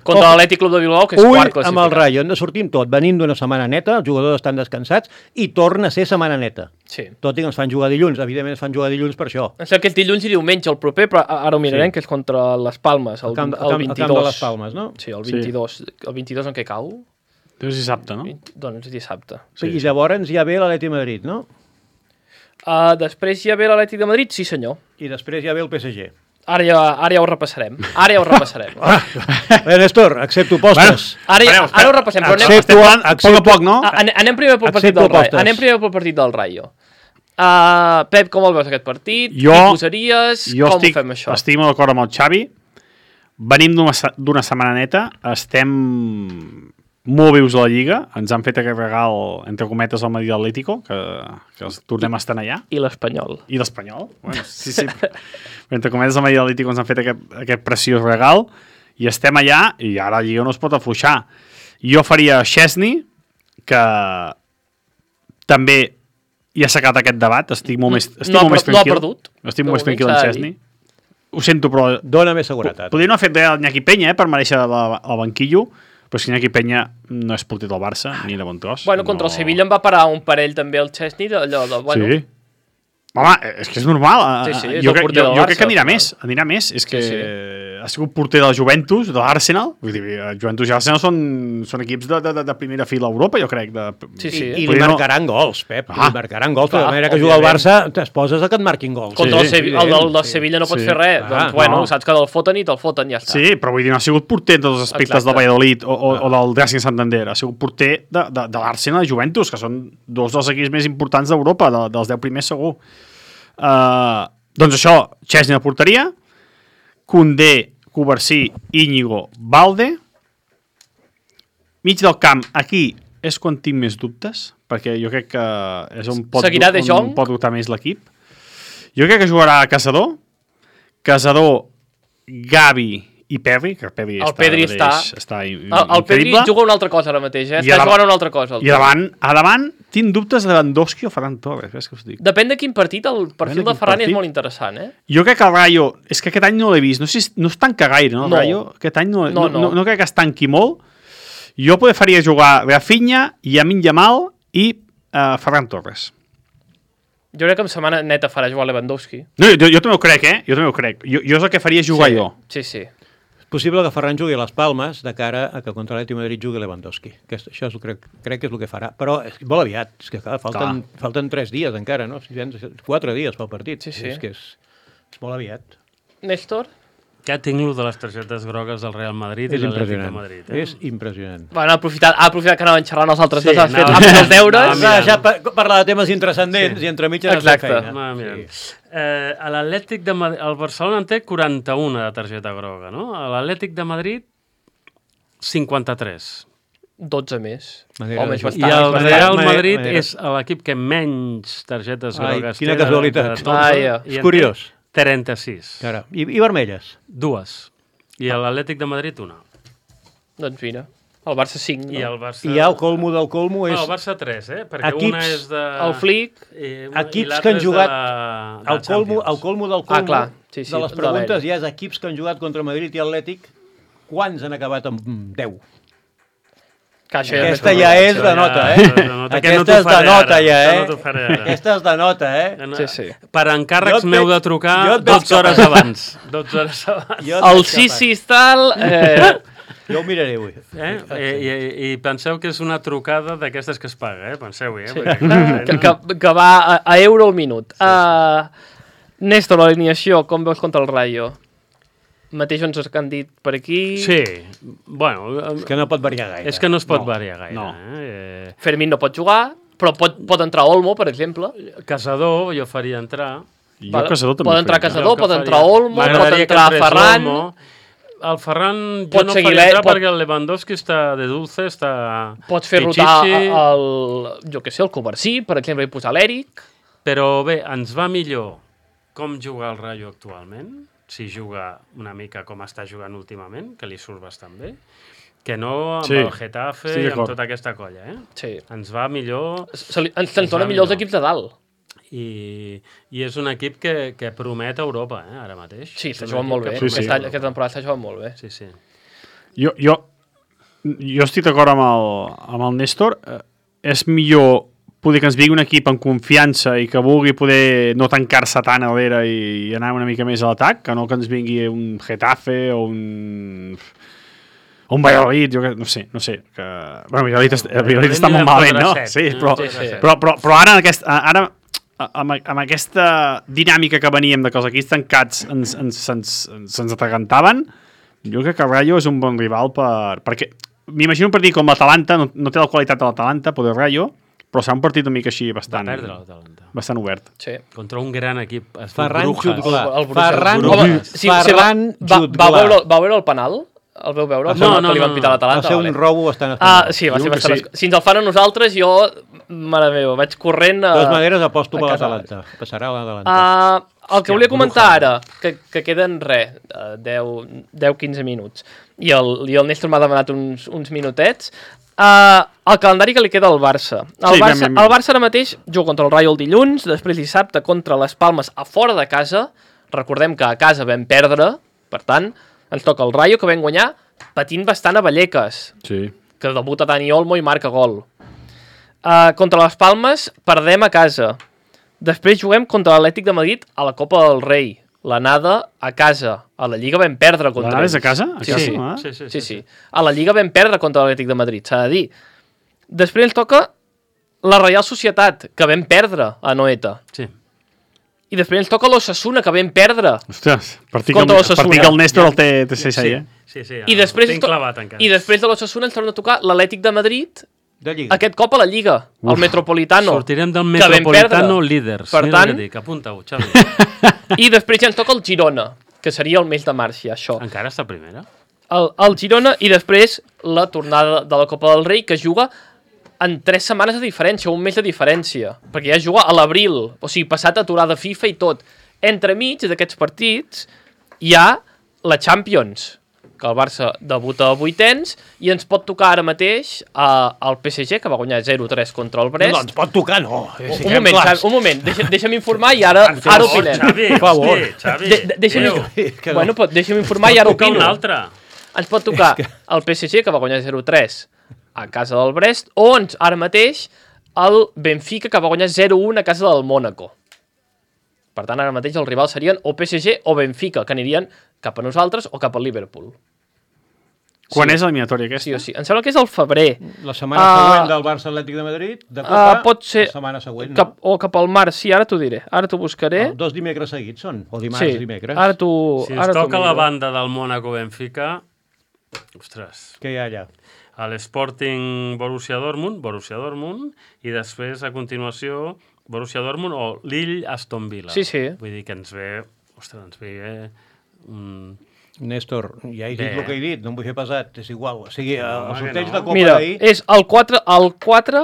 Contra l'Atlètic Club de Bilbao, que és quart classificat. Amb el Rayo, hem de sortir amb tot. Venim d'una setmana neta, els jugadors estan descansats i torna a ser setmana neta. Sí. Tot i que ens fan jugar dilluns. Evidentment ens fan jugar dilluns per això. Em sembla que és dilluns i diumenge el proper, però ara ho mirarem, que és contra les Palmes, el 22. El camp de les Palmes, no? Sí, el 22. El 22 en què cau? És dissabte, no? Doncs és dissabte. I llavors ja ve l'Atlètic de Madrid, no? Després ja ve l'Atlètic de Madrid, sí senyor. I després ja ve el PSG. Ara ja ho repassarem. Néstor, accepto postres. Ara ho repassem, però anem a poc, no? Anem primer pel partit del Rayo. Pep, com el veus aquest partit? Qui posaries? Com ho fem això? Jo estic molt d'acord amb el Xavi. Venim d'una setmana neta. Estem molt vius a la Lliga. Ens han fet aquest regal, entre cometes, al Madrid Atlético, que els tornem a estar allà. I l'Espanyol. Bueno, sí. Entre cometes, al Madrid Atlético ens han fet aquest preciós regal i estem allà i ara la Lliga no es pot afluixar. Jo faria Szczesny, que també ja s'ha acabat aquest debat. Estic molt més tranquil. No ha perdut. Estic molt més tranquil amb Szczesny. Ho sento, però... Dóna més seguretat. Podria no haver fet el Iñaki Peña, per mereixer el banquillo, però si Iñaki Peña no és porter del Barça, ni de bon tros. Bueno, contra el Sevilla en va parar un parell també el Szczesny, allò de... Sí. Home, és que és normal. Jo crec que anirà més. És que ha sigut porter del Juventus, de l'Arsenal. Vull dir, el Juventus i l'Arsenal són equips de primera fila a Europa, jo crec. I li marcaran gols, Pep. Li marcaran gols. De la manera que juga el Barça, t'esposes a que et marquin gols. Contra el del Sevilla no pot fer res. Doncs, bueno, saps que te'l foten i te'l foten, ja està. Sí, però vull dir, no ha sigut porter dels aspectes del Valladolid o del Racing Santander. Ha sigut porter de l'Arsenal i Juventus, que són dos dels equips més importants d'Europa, dels 10 primers segur. Doncs això, Szczesny a la porteria, Koundé, Cubarsí, Íñigo, Balde. Mig del camp, aquí és quan tinc més dubtes, perquè jo crec que és on pot dubtar més l'equip. Jo crec que jugarà Casador, Gavi i Pedri, que Pedri està increïble. El Pedri juga una altra cosa ara mateix, està jugant una altra cosa. I a davant tinc dubtes de Lewandowski o Ferran Torres, ves que us dic. Depèn de quin partit, el perfil de Ferran és molt interessant, Jo crec que el Rayo, és que aquest any no l'he vist, no es tanca gaire, no, el Rayo? Aquest any no crec que es tanqui molt. Jo faria jugar Rafinha, Lamine Yamal i Ferran Torres. Jo crec que en setmana neta farà jugar Lewandowski. No, jo també ho crec, Jo és el que faria jugar jo. Sí. possible que Ferran jugui a les Palmes de cara a que contra l'Atlètic de Madrid jugui Lewandowski. Això crec que és el que farà. Però és molt aviat. És que falten 3 dies encara, no? 4 dies pel partit. Sí. És que és molt aviat. Néstor? Ja tinc lo de les targetes grogues del Real Madrid i l'Atlètic de Madrid. És impressionant. Bueno, ha aprofitat que anaven xerrant els altres dos, ha fet els deures. Ja parlar de temes intrascendents i entre mitges has de feina. A l'Atlètic de Madrid, el Barcelona en té 41 de targeta groga, no? A l'Atlètic de Madrid, 53. 12 més. Home, és bastant. I el Real Madrid és l'equip que menys targetes grogues té. Quina casualitat. És curiós. 36. I vermelles? 2. I a l'Atlètic de Madrid, 1. Doncs mira, el Barça 5, no? I el Barça... I ja el colmo del colmo és... No, el Barça 3, perquè una és de... El Flick... Equips que han jugat... El colmo del colmo de les preguntes ja és equips que han jugat contra Madrid i Atlètic. Quants han acabat amb 10? Aquesta ja és de nota, Aquesta és de nota, ja, Aquesta és de nota, Sí. Per encàrrecs m'heu de trucar 12 hores abans. 12 hores abans. El sí, tal... Jo ho miraré avui. I penseu que és una trucada d'aquestes que es paga, penseu-hi. Que va a euro al minut. Néstor, l'alineació, com veus contra el Rayo? Mateix ens han dit per aquí... Sí, bueno... És que no pot variar gaire. És que no es pot variar gaire. No. Fermín no pot jugar, però pot entrar Olmo, per exemple. Casador, jo faria entrar. Casador també pot entrar Casador, pot entrar Olmo, pot entrar Ferran... El Ferran jo no faria entrar perquè el Lewandowski està de dulce, està... Pots fer rotar el Covarsí, per exemple, i posar l'Eric. Però bé, ens va millor com jugar el Rayo actualment, si juga una mica com està jugant últimament, que li surt bastant bé, que no amb el Getafe i amb tota aquesta colla. Sí. Ens va millor... Ens dona millor els equips de dalt. I és un equip que promet a Europa, ara mateix. Sí, està jugant molt bé. Aquesta temporada està jugant molt bé. Sí. Jo estic d'acord amb el Néstor. És millor poder que ens vingui un equip en confiança i que vulgui poder no tancar-se tant a l'era i anar una mica més a l'atac, que no que ens vingui un Getafe o un Valladolid, jo no sé. Que... Bueno, Valladolid està molt malament, no? Sí, però ara amb aquesta dinàmica que veníem de que els equips tancats se'ns atragantaven, jo crec que el Rayo és un bon rival perquè m'imagino un partit com l'Atalanta, no té la qualitat de l'Atalanta, però el Rayo, però serà un partit una mica així bastant obert. Sí. Contra un gran equip. Ferran Jutgla. Ferran Jutgla. Va veure el penal? El veu veure? No. Que li van pitar l'Atalanta? Va ser un robo bastant espanyol. Sí, va ser bastant... Si ens el fan a nosaltres, jo, mare meva, vaig corrent... De totes maneres, aposto per l'Atalanta. Passarà l'Atalanta. El que volia comentar ara, que queden 10-15 minuts, i el Néstor m'ha demanat uns minutets, el calendari que li queda al Barça. El Barça ara mateix juga contra el Rayo el dilluns, després dissabte contra les Palmes a fora de casa. Recordem que a casa vam perdre, per tant, ens toca el Rayo, que vam guanyar patint bastant a Vallecas, que debuta Dani Olmo i marca gol. Contra les Palmes perdem a casa. Després juguem contra l'Atlètic de Madrid a la Copa del Rei. L'anada a casa. A la Lliga vam perdre contra ells. L'anada és a casa? Sí. A la Lliga vam perdre contra l'Atlètic de Madrid, s'ha de dir. Després ens toca la Reial Societat, que vam perdre a Noeta. Sí. I després ens toca l'Osasuna, que vam perdre. Ostres, per dir que el Néstor el té ahí, Sí, I després de l'Osasuna ens torna a tocar l'Atlètic de Madrid, aquest cop a la Lliga, al Metropolitano. Sortirem del Metropolitano líders. Per tant, apunta-ho, Xavi. I després ja ens toca el Girona, que seria el mes de març, ja, això. Encara està primera? El Girona i després la tornada de la Copa del Rei, que juga en 3 setmanes de diferència, un mes de diferència, perquè ja juga a l'abril, o sigui, passat aturada FIFA i tot. Entremig d'aquests partits hi ha la Champions, que el Barça debuta a vuitens, i ens pot tocar ara mateix el PSG, que va guanyar 0-3 contra el Brest. No, ens pot tocar, no. Un moment, deixa'm informar i ara opinem. Xavi, per favor. Deixa'm informar i ara opino. Un altre. Ens pot tocar el PSG, que va guanyar 0-3 a casa del Brest, o ara mateix el Benfica, que va guanyar 0-1 a casa del Mónaco. Per tant, ara mateix els rivals serien o PSG o Benfica, que anirien cap a nosaltres o cap al Liverpool. Quan és l'eliminatòria aquesta? Sí o sí. Em sembla que és al febrer. La setmana següent del Barça Atlètic de Madrid, de Copa, pot ser la setmana següent, no? o cap al març, sí, ara t'ho diré. Ara t'ho buscaré. 2 dimecres seguits són, o dimarts, dimecres. Ara t'ho... Si us toca la banda del Mónaco-Benfica, ostres... Què hi ha allà? A l'Sporting Borussia Dortmund, i després, a continuació, Borussia Dortmund o Lille-Aston Villa. Sí, sí. Vull dir que ens ve... Ostres, ens ve... Néstor, ja he dit el que he dit, no em vull fer pesat, és igual. O sigui, el sorteig de Copa Mira, d'ahir... és el 4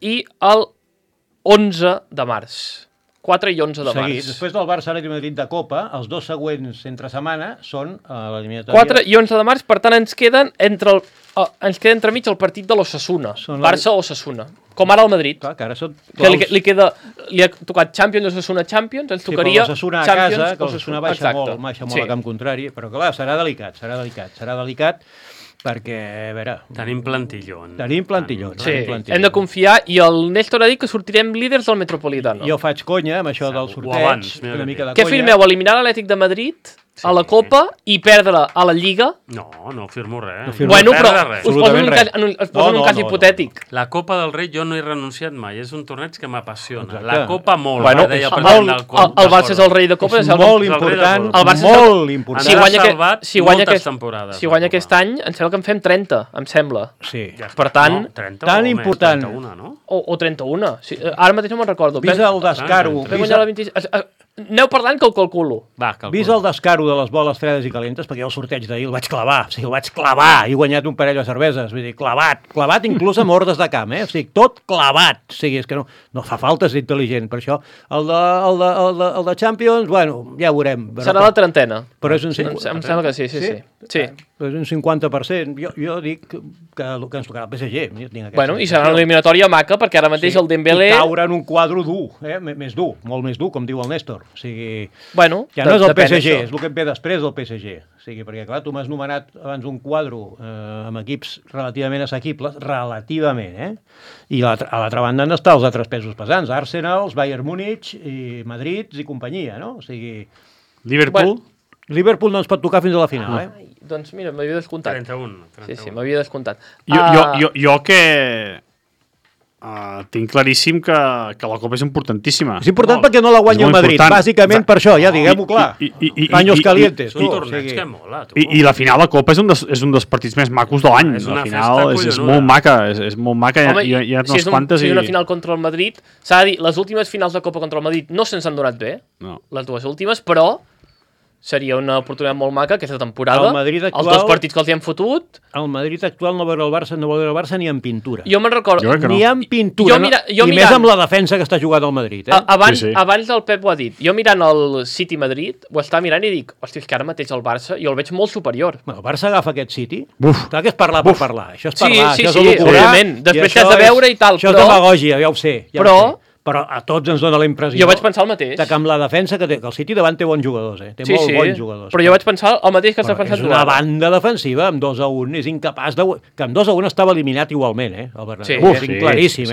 i el 11 de març. 4 i 11 de març. Després del Barça Atlètic de Madrid de Copa, els 2 següents entre setmana són l'eliminatòria... 4 i 11 de març, per tant ens queden entremig el partit de l'Osasuna. Barça-Osasuna. Com ara el Madrid. Clar, que ara són... Que li ha tocat Champions, Osasuna Champions, ens tocaria L'Osasuna a casa, que l'Osasuna baixa molt a camp contrari, però clar, serà delicat, perquè, a veure... Tenim plantillon. Sí, hem de confiar, i el Néstor ha dit que sortirem líders del Metropolitano. Jo faig conya amb això del sorteig, una mica de conya. Què firmeu, eliminar l'Atlètic de Madrid a la Copa i perdre a la Lliga? No firmo res. Bueno, però us poso en un cas hipotètic. La Copa del Rei jo no he renunciat mai, és un torneig que m'apassiona. Exacte. La Copa molt. Bueno, el Barça és el rei de Copa. És molt important, molt important. Si guanya aquest any, em sembla que en fem 30, em sembla. Sí. Per tant... Tan important. 31, no? O 31. Ara mateix no me'n recordo. Vist el descaro... Aneu parlant que ho calculo. Vist el descaro de les boles fredes i calentes, perquè jo el sorteig d'ahir el vaig clavar, he guanyat un parell de cerveses, vull dir, clavat inclús amb ordres de camp, o sigui, tot clavat, o sigui, és que no fa falta ser intel·ligent, per això el de Champions, bueno, ja ho veurem. Serà la trentena. Però és un... Em sembla que sí. Però és un 50%, jo dic que ens tocarà el PSG. Bueno, i serà una eliminatòria maca, perquè ara mateix el Dembélé... I caure en un quadre dur, més dur, molt més dur, com diu el Néstor. O sigui, bueno, ja no és el PSG, és el que ve després del PSG. O sigui, perquè, clar, tu m'has nomenat abans un quadre amb equips relativament assequibles, i a l'altra banda han d'estar els altres pesos pesants, Arsenal, Bayern Múnich, i Madrid i companyia, no? O sigui... Liverpool no ens pot tocar fins a la final, Doncs mira, m'havia descomptat. 31. Sí, m'havia descomptat. Jo que... tinc claríssim que la Copa és importantíssim. És important perquè no la guanya el Madrid, bàsicament per això, ja diguem-ho clar. Paños calientes. És un torneig que mola, tu. I la final de Copa és un dels partits més macos de l'any. La final és molt maca, és molt maca. Hi ha unes quantes. Si és una final contra el Madrid, s'ha de dir, les últimes finals de Copa contra el Madrid no se'ns han donat bé, les dues últimes, però seria una oportunitat molt maca aquesta temporada. Els 2 partits que els hi hem fotut. El Madrid actual no veurà el Barça ni en pintura. Jo me'n recordo. Ni en pintura. I més amb la defensa que està jugant el Madrid. Abans el Pep ho ha dit. Jo mirant el City Madrid, ho estava mirant i dic, hòstia, és que ara mateix el Barça jo el veig molt superior. El Barça agafa aquest City. Clar que és parlar per parlar. Això és parlar, això és evidentment. Després t'has de veure i tal. Això és demagògia, ja ho sé. Però a tots ens dona la impressió... Jo vaig pensar el mateix. Que amb la defensa que té, que el City davant té bons jugadors, té molt bons jugadors. Però jo vaig pensar el mateix que estàs pensant tu. És una banda defensiva, amb 2-1, és incapaç de... Que amb 2-1 estava eliminat igualment, el Bernabéu. És claríssim,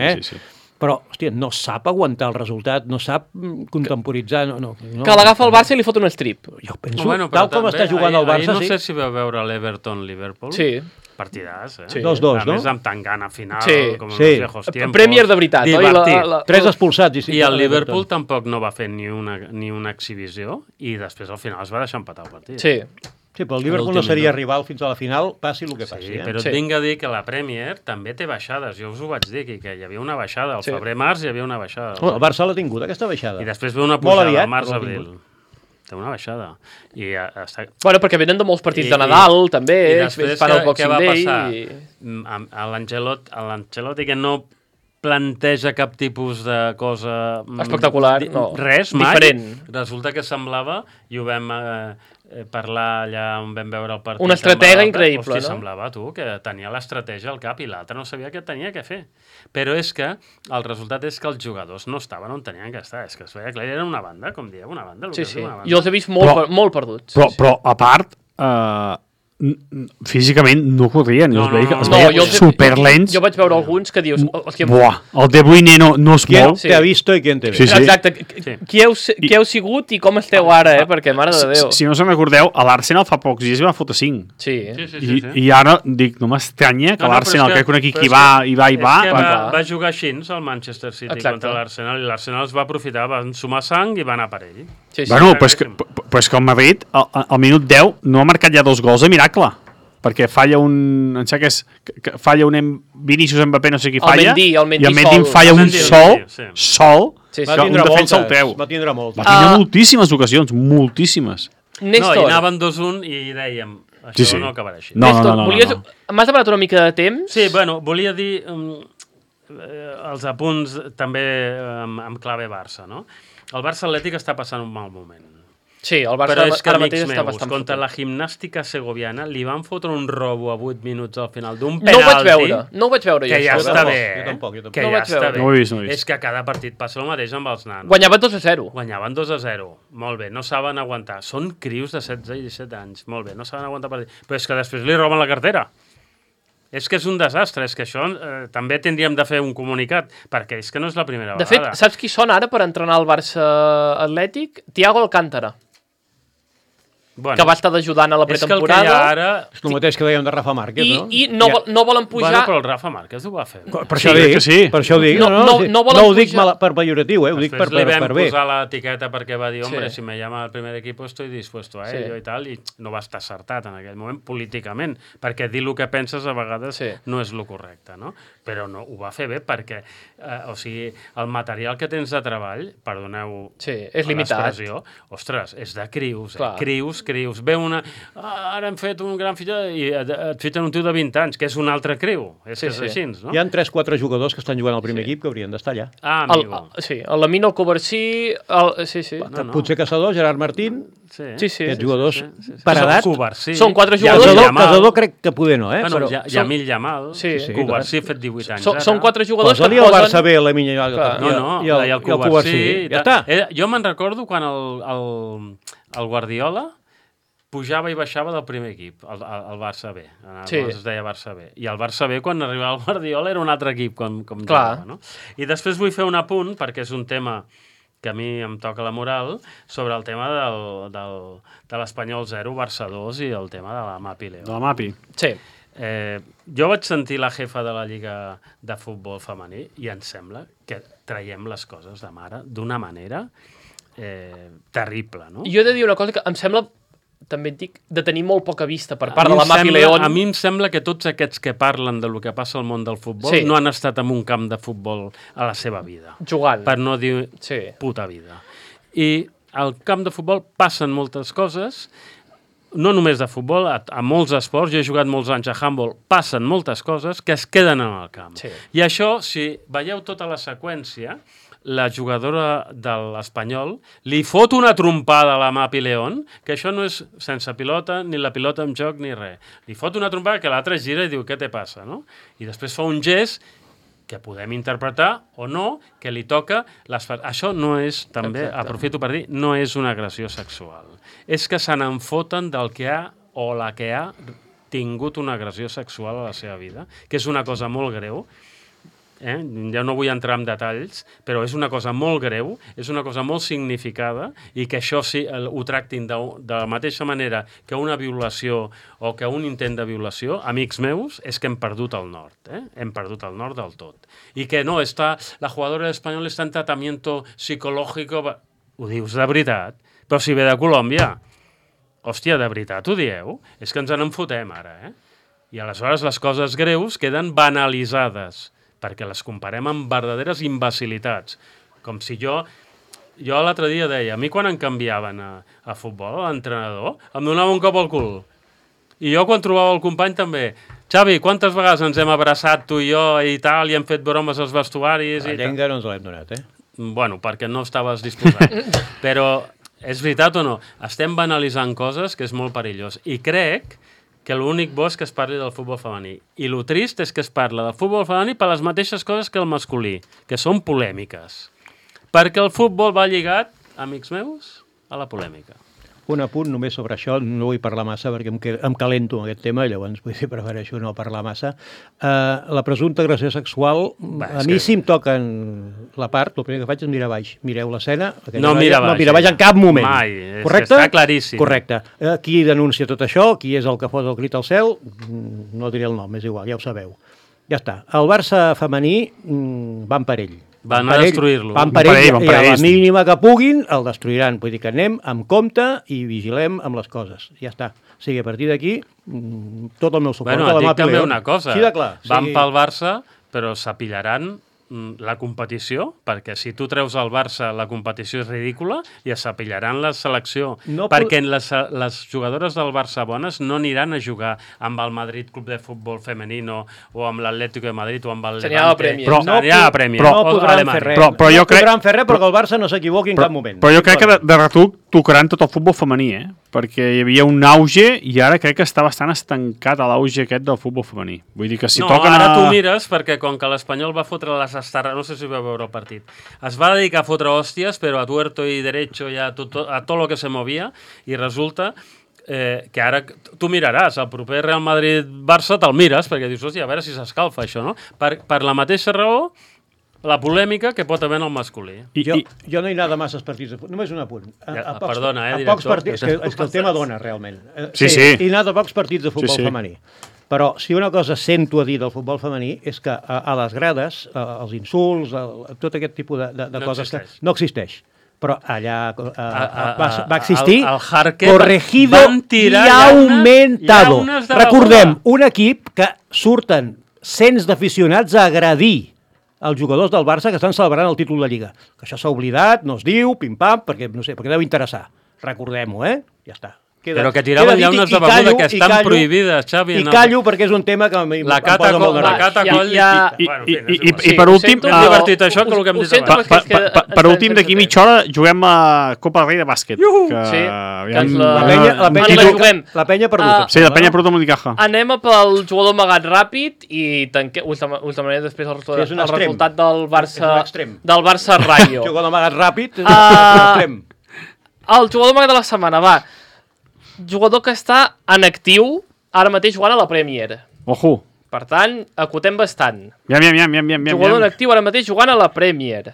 Però, hòstia, no sap aguantar el resultat, no sap contemporitzar... Que l'agafa el Barça i li fot un strip. Jo penso, tal com està jugant el Barça... No sé si vau veure l'Everton-Liverpool. Sí. Partidàs, 2-2, no? A més, amb tangana final, com en los viejos tiempos. Premier de veritat, divertit. 3 expulsats. I el Liverpool tampoc no va fer ni una exhibició i després al final es va deixar empatar el partit. Sí, però el Liverpool no seria rival fins a la final, passi el que passi. Però et vinc a dir que la Premier també té baixades. Jo us ho vaig dir, que hi havia una baixada. Al febrer-març hi havia una baixada. El Barça l'ha tingut, aquesta baixada. I després ve una pujada, març-abril. Té una baixada. Bueno, perquè venen de molts partits de Nadal, també. I després què va passar? A l'Ancelotti, que no planteja cap tipus de cosa... espectacular, no. Res, mai. Diferent. Resulta que semblava, i ho vam parlar allà on vam veure el partit... Una estratega increïble, no? Semblava, tu, que tenia l'estratègia al cap i l'altre no sabia què tenia que fer. Però és que el resultat és que els jugadors no estaven on tenien que estar. És que es veia clar, era una banda, com dieu, una banda. Sí. Jo els he vist molt perduts. Però a part, físicament no corrien, No, es veia, no, es no, veia superlents. Jo vaig veure alguns que dius... Buah, el De Bruyne no es mou. Qui ha visto i qui en té Sí, sí. Exacte. Qui heu sigut i com esteu ara, perquè, mare de Déu. Si no se'n recordeu, a l'Arsenal fa pocs dies va fotre 5. Sí. I ara, dic, no m'estranya que l'Arsenal, que conec qui va i va... Va jugar així al Manchester City contra l'Arsenal, i l'Arsenal es va aprofitar, van sumar sang i va anar per ell. Bueno, pues que el Madrid, al minut 10, no ha marcat ja 2 gols de miracle. Perquè falla un... Em sembla que és... Falla un Vinícius Mbappé, no sé qui falla. El Mendy i el Mendy falla un sol. Va tindre moltes. Va tindre moltíssimes ocasions, moltíssimes. Néstor. No, i anaven 2-1 i dèiem, això no acabarà així. Néstor, m'has demanat una mica de temps? Sí, bueno, volia dir els apunts també amb clave Barça, no? El Barça Atlètic està passant un mal moment. Sí, el Barça però és que, ara mateix amics està meus, bastant contra fotent. la Gimnàstica Segoviana li van fotre un robo a 8 minuts al final d'un No ho vaig penalti veure, que ja està bé. Jo tampoc. Que No ho ja vaig està veure. bé. No ho he vist. És que a cada partit passa el mateix amb els nanos. Guanyaven 2-0. Guanyaven 2-0. Molt bé, no saben aguantar. Són crios de 16 i 17 anys. Molt bé, no saben aguantar partit. Però és que després li roben la cartera. És que és un desastre, és que això també tindríem de fer un comunicat, perquè és que no és la primera De vegada. fet, saps qui són ara per entrenar el Barça Atlètic? Thiago Alcántara, bueno, que va estar ajudant a la pretemporada. És que el que hi ha ara... És el mateix que dèiem de Rafa Márquez, no? I no volen pujar... Bueno, però el Rafa Márquez ho va fer. Per això dic, que sí. per això ho dic. No volen ho dic pujar. per pejoratiu, ho dic per Després li vam bé. posar l'etiqueta perquè va dir, hombre, Sí. si me llama al primer equipo estoy dispuesto a Sí. ello i tal, i no va estar acertat en aquell moment políticament, perquè dir el que penses a vegades Sí. no és el correcte, no? Però no, ho va fer bé perquè, o sigui, el material que tens de treball, perdoneu Sí, és limitat. l'expressió, ostres, és de crius, Clar. crius. Ve una... ara hem fet un gran fitxatge i et fitxen un tio de 20 anys, que és un altre criu. És Sí, que és sí. així, no? Hi ha 3-4 jugadors que estan jugant al primer equip que haurien d'estar allà. Ah, amigo. Sí, el Lamine, el Covarsí... Sí. No. Potser Caçador, Gerard Martín, Sí. aquests jugadors Sí. per edat. Covarsí. Són 4 Yamil jugadors... Yamal. Caçador crec que poder no, Bueno, però Yamil Yamal, Sí. Covarsí ha fet 18 anys ara. Són 4 jugadors posa-li que al posen... Barça B la minya Clar. No, i el Covarsí. Covarsí. Ja està. Jo me'n recordo quan el Guardiola pujava i baixava del primer equip, el Barça B. Sí. Es deia Barça B. I el Barça B, quan arribava el Guardiola, era un altre equip, com Clar. jugava. No? I després vull fer un apunt, perquè és un tema que a mi em toca la moral, sobre el tema de l'Espanyol 0, Barça 2 i el tema de la Mapi León. De la Mapi. Sí. Jo vaig sentir la jefa de la Lliga de Futbol Femení i em sembla que traiem les coses de mare d'una manera terrible, no? Jo he de dir una cosa que em sembla, també et dic, de tenir molt poca vista per part de la Mapi León. A mi em sembla que tots aquests que parlen del que passa al món del futbol Sí. no han estat en un camp de futbol a la seva vida. Jugant. Per no dir Sí. puta vida. I al camp de futbol passen moltes coses, no només de futbol, a molts esports, jo he jugat molts anys a handball, passen moltes coses que es queden en el camp. Sí. I això, si veieu tota la seqüència, la jugadora de l'Espanyol li fot una trompada a la Mapi León, que això no és sense pilota, ni la pilota en joc, ni res. Li fot una trompada que l'altre gira i diu, què te passa, no? I després fa un gest que podem interpretar o no, que li toca... Això no és, també, Exacte. aprofito per dir, no és una agressió sexual. És que se n'enfoten del que ha o la que ha tingut una agressió sexual a la seva vida, que és una cosa molt greu. Ja no vull entrar en detalls, però és una cosa molt greu, és una cosa molt significada, i que això sí, ho tractin de la mateixa manera que una violació o que un intent de violació, amics meus, és que hem perdut el nord, hem perdut el nord del tot. I que no, la jugadora espanyola està en tratamiento psicológico, ho dius de veritat, però si ve de Colòmbia, hòstia, de veritat ho dieu? És que ens en fotem ara, I aleshores les coses greus queden banalitzades, perquè les comparem amb verdaderes imbecilitats. Com si jo l'altre dia deia, a mi quan em canviaven a futbol, a l'entrenador, em donava un cop al cul. I jo quan trobava el company també, Xavi, quantes vegades ens hem abraçat tu i jo i tal, i hem fet bromes als vestuaris? La llenga no ens l'hem donat, Bueno, perquè no estaves disposat. Però és veritat o no? Estem banalitzant coses que és molt perillós. I crec que l'únic bo és que es parli del futbol femení. I el trist és que es parla del futbol femení per les mateixes coses que el masculí, que són polèmiques. Perquè el futbol va lligat, amics meus, a la polèmica. Un apunt només sobre això, no vull parlar massa perquè em calento amb aquest tema, llavors prefereixo no parlar massa. La presumpta agressió sexual, a mi si em toquen la part, el primer que faig és mirar baix. Mireu l'escena. No mira baix. No mira baix en cap moment. Mai, correcte? Està claríssim. Correcte. Qui denuncia tot això, qui és el que posa el crit al cel, no diré el nom, és igual, ja ho sabeu. Ja està. El Barça femení van per ell. Van a destruir-lo. Van per ell, i a la mínima que puguin el destruiran. Vull dir que anem amb compte i vigilem amb les coses. Ja està. O sigui, a partir d'aquí, tot el meu suport. Bueno, et dic també una cosa. Sí, de clar. Van pel Barça, però s'apillaran la competició, perquè si tu treus el Barça, la competició és ridícula i es s'apillaran la selecció, perquè les jugadores del Barça bones no aniran a jugar amb el Madrid Club de Futbol Femenino o amb l'Atlético de Madrid o amb el Levante. Seria a Premier. No podran fer res. No podran fer res perquè el Barça no s'equivoqui en cap moment. Però jo crec que de retruc tocaran tot el futbol femení, perquè hi havia un auge i ara crec que està bastant estancat a l'auge aquest del futbol femení. Vull dir que si toquen... No, ara tu mires, perquè com que l'Espanyol va fotre les estarres, no sé si vau veure el partit, es va dedicar a fotre hòsties, però a tuerto i derecho i a tot lo que se movia, i resulta que ara tu miraràs, el proper Real Madrid-Barça te'l mires, perquè dius, hòstia, a veure si s'escalfa això, no? Per la mateixa raó, la polèmica que pot haver en el masculí. Jo no he anat a masses partits, només un apunt. Perdona, director. A pocs partits, és que el tema dona, realment. Sí. He anat a pocs partits de futbol femení. Però si una cosa sento a dir del futbol femení és que a les grades, els insults, tot aquest tipus de coses que no existeix. Però allà va existir corregido i aumentado. Recordem, un equip que surten cents d'aficionats a agredir els jugadors del Barça que estan celebrant el títol de Lliga. Que això s'ha oblidat, no es diu, pim-pam, perquè no sé, perquè deu interessar. Recordem-ho, ja està. Però que tiraven llaunes de beguda que estan prohibides, Xavi. I callo perquè és un tema que em posa molt nerviós. I per últim... És divertit això que el que hem dit abans. Per últim, d'aquí mitja hora juguem a Copa del Rei de bàsquet. Sí, la penya perdut. Sí, la penya perdut amb l'Unicaja. Anem pel jugador amagat ràpid i us demanaré després el resultat del Barça Rayo. Jugador amagat ràpid, extrem. El jugador amagat de la setmana, va. Jugador que està en actiu ara mateix jugant a la Premier. Ojo. Per tant, acotem bastant. Jugador en actiu ara mateix jugant a la Premier.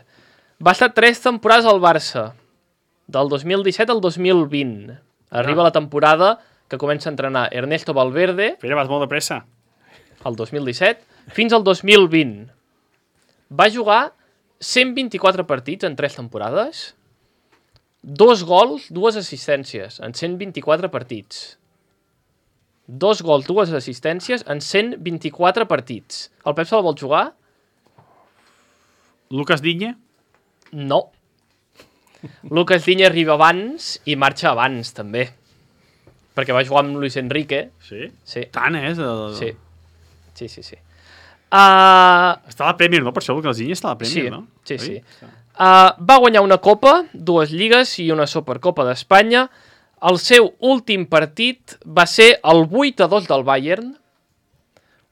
Va estar 3 temporades al Barça, del 2017 al 2020. Arriba la temporada que comença a entrenar Ernesto Valverde. Però vas molt de pressa. El 2017, fins al 2020. Va jugar 124 partits en 3 temporades. 2 gols, 2 assistències en 124 partits. 2 gols, 2 assistències en 124 partits. El Pep se la vol jugar? Lucas Digne? No. Lucas Digne arriba abans i marxa abans, també. Perquè va jugar amb Luis Enrique. Sí? Sí. Tant, Sí. Està a la Premier, no? Per això Lucas Digne està a la Premier, no? Sí. Va guanyar una Copa, 2 Lligues i una Supercopa d'Espanya. El seu últim partit va ser el 8-2 del Bayern,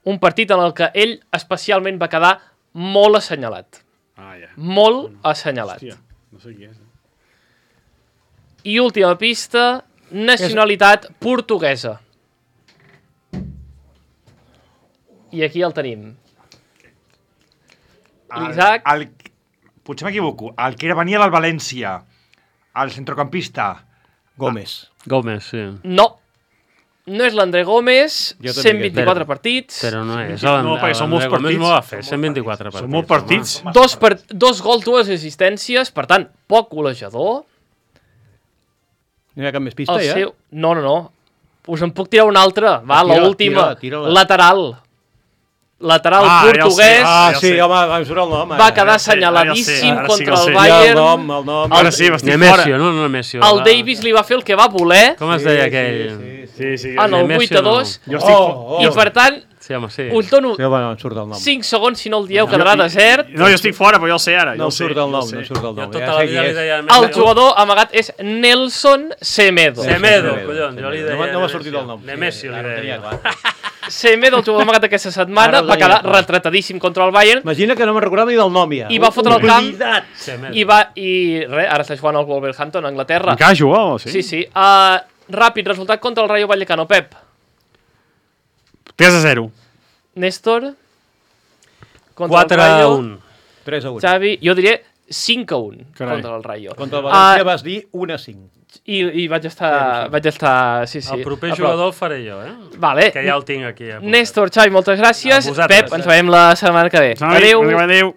un partit en el que ell especialment va quedar molt assenyalat. Molt assenyalat. Hòstia, no sé qui és. I última pista, nacionalitat portuguesa. I aquí el tenim. L'Isaac... Potser m'equivoco. El que venia del València, el centrocampista. Gómez, sí. No és l'André Gómez, 124 partits. Però no és. No, perquè són molts partits. No va fer 124 partits. Són molts partits. 2 gols, 2 assistències, per tant, poc golejador. No hi ha cap més pista, ja? No. Us en puc tirar una altra. Va, l'última. Lateral portuguès. Sí, home, em surt el nom. Va quedar assenyaladíssim contra el Bayern. El nom. Ara sí, m'estic fora. No Nemesio. El Davis li va fer el que va voler. Com es deia aquell? Sí. En el 8-2. I per tant, us dono 5 segons, si no el dieu quedarà desert. No, jo estic fora, però jo el sé ara. No surt el nom. Tota la vida li deia... El jugador amagat és Nelson Semedo. Semedo, collons, jo li deia... No m'ha sortit el nom. Nemesio li deia. Semedo, el jugador amagat aquesta setmana, va quedar retratadíssim contra el Bayern. Imagina que no me'n recordava ni del nom, ja. I va fotre el camp, i ara està jugant al Wolverhampton, a Anglaterra. Encara jugava, sí? Sí. Ràpid, resultat contra el Rayo Vallecano, Pep. 3-0. Néstor. 4-1. 3-1. Xavi, jo diré 5-1 contra el Rayo. Contra el València vas dir 1-5. I vaig estar... Sí. El proper jugador el faré jo, Vale. Que ja el tinc aquí. Néstor, Xavi, moltes gràcies. Pep, ens veiem la setmana que ve. Adéu.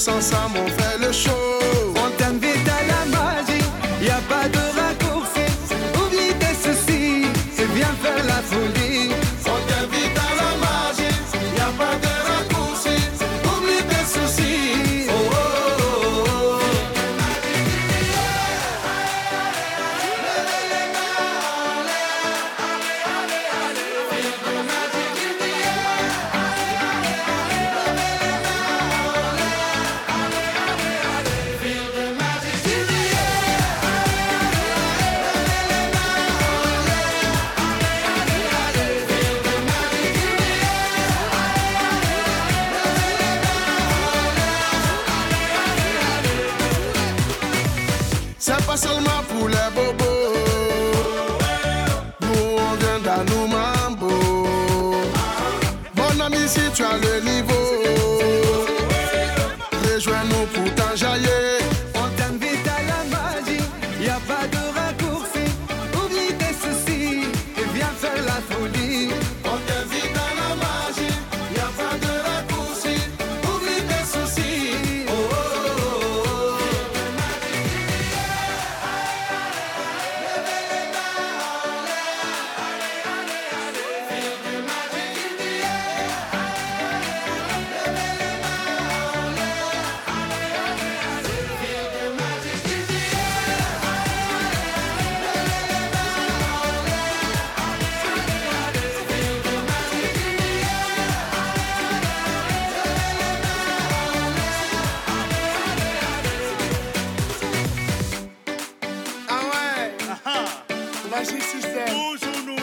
Ensemble on fait le show. On t'invite à la magie, y a pas de raccourci. Oublie tes soucis, c'est bien faire la folie. On t'invite à la magie, y a pas de raccourci. Oublie tes soucis. Oh, oh, oh, oh. C'est pas seulement pour les bobos. Nous on vient d'Anou Mambo. Mon ami, si tu as le niveau, rejoins-nous pour t'enjailler. On t'invite à la magie, y a pas de raccourci. Oublie tes soucis et viens faire la folie. On t'invite à la magie, y a pas de raccourci. Oublie tes soucis. Oh, oh, oh, oh. Magic System. Toujours nous.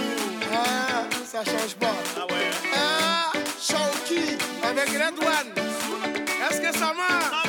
Ah, ça change pas. Ah ouais. Ah, Shawky avec Red One. Est-ce que ça marche?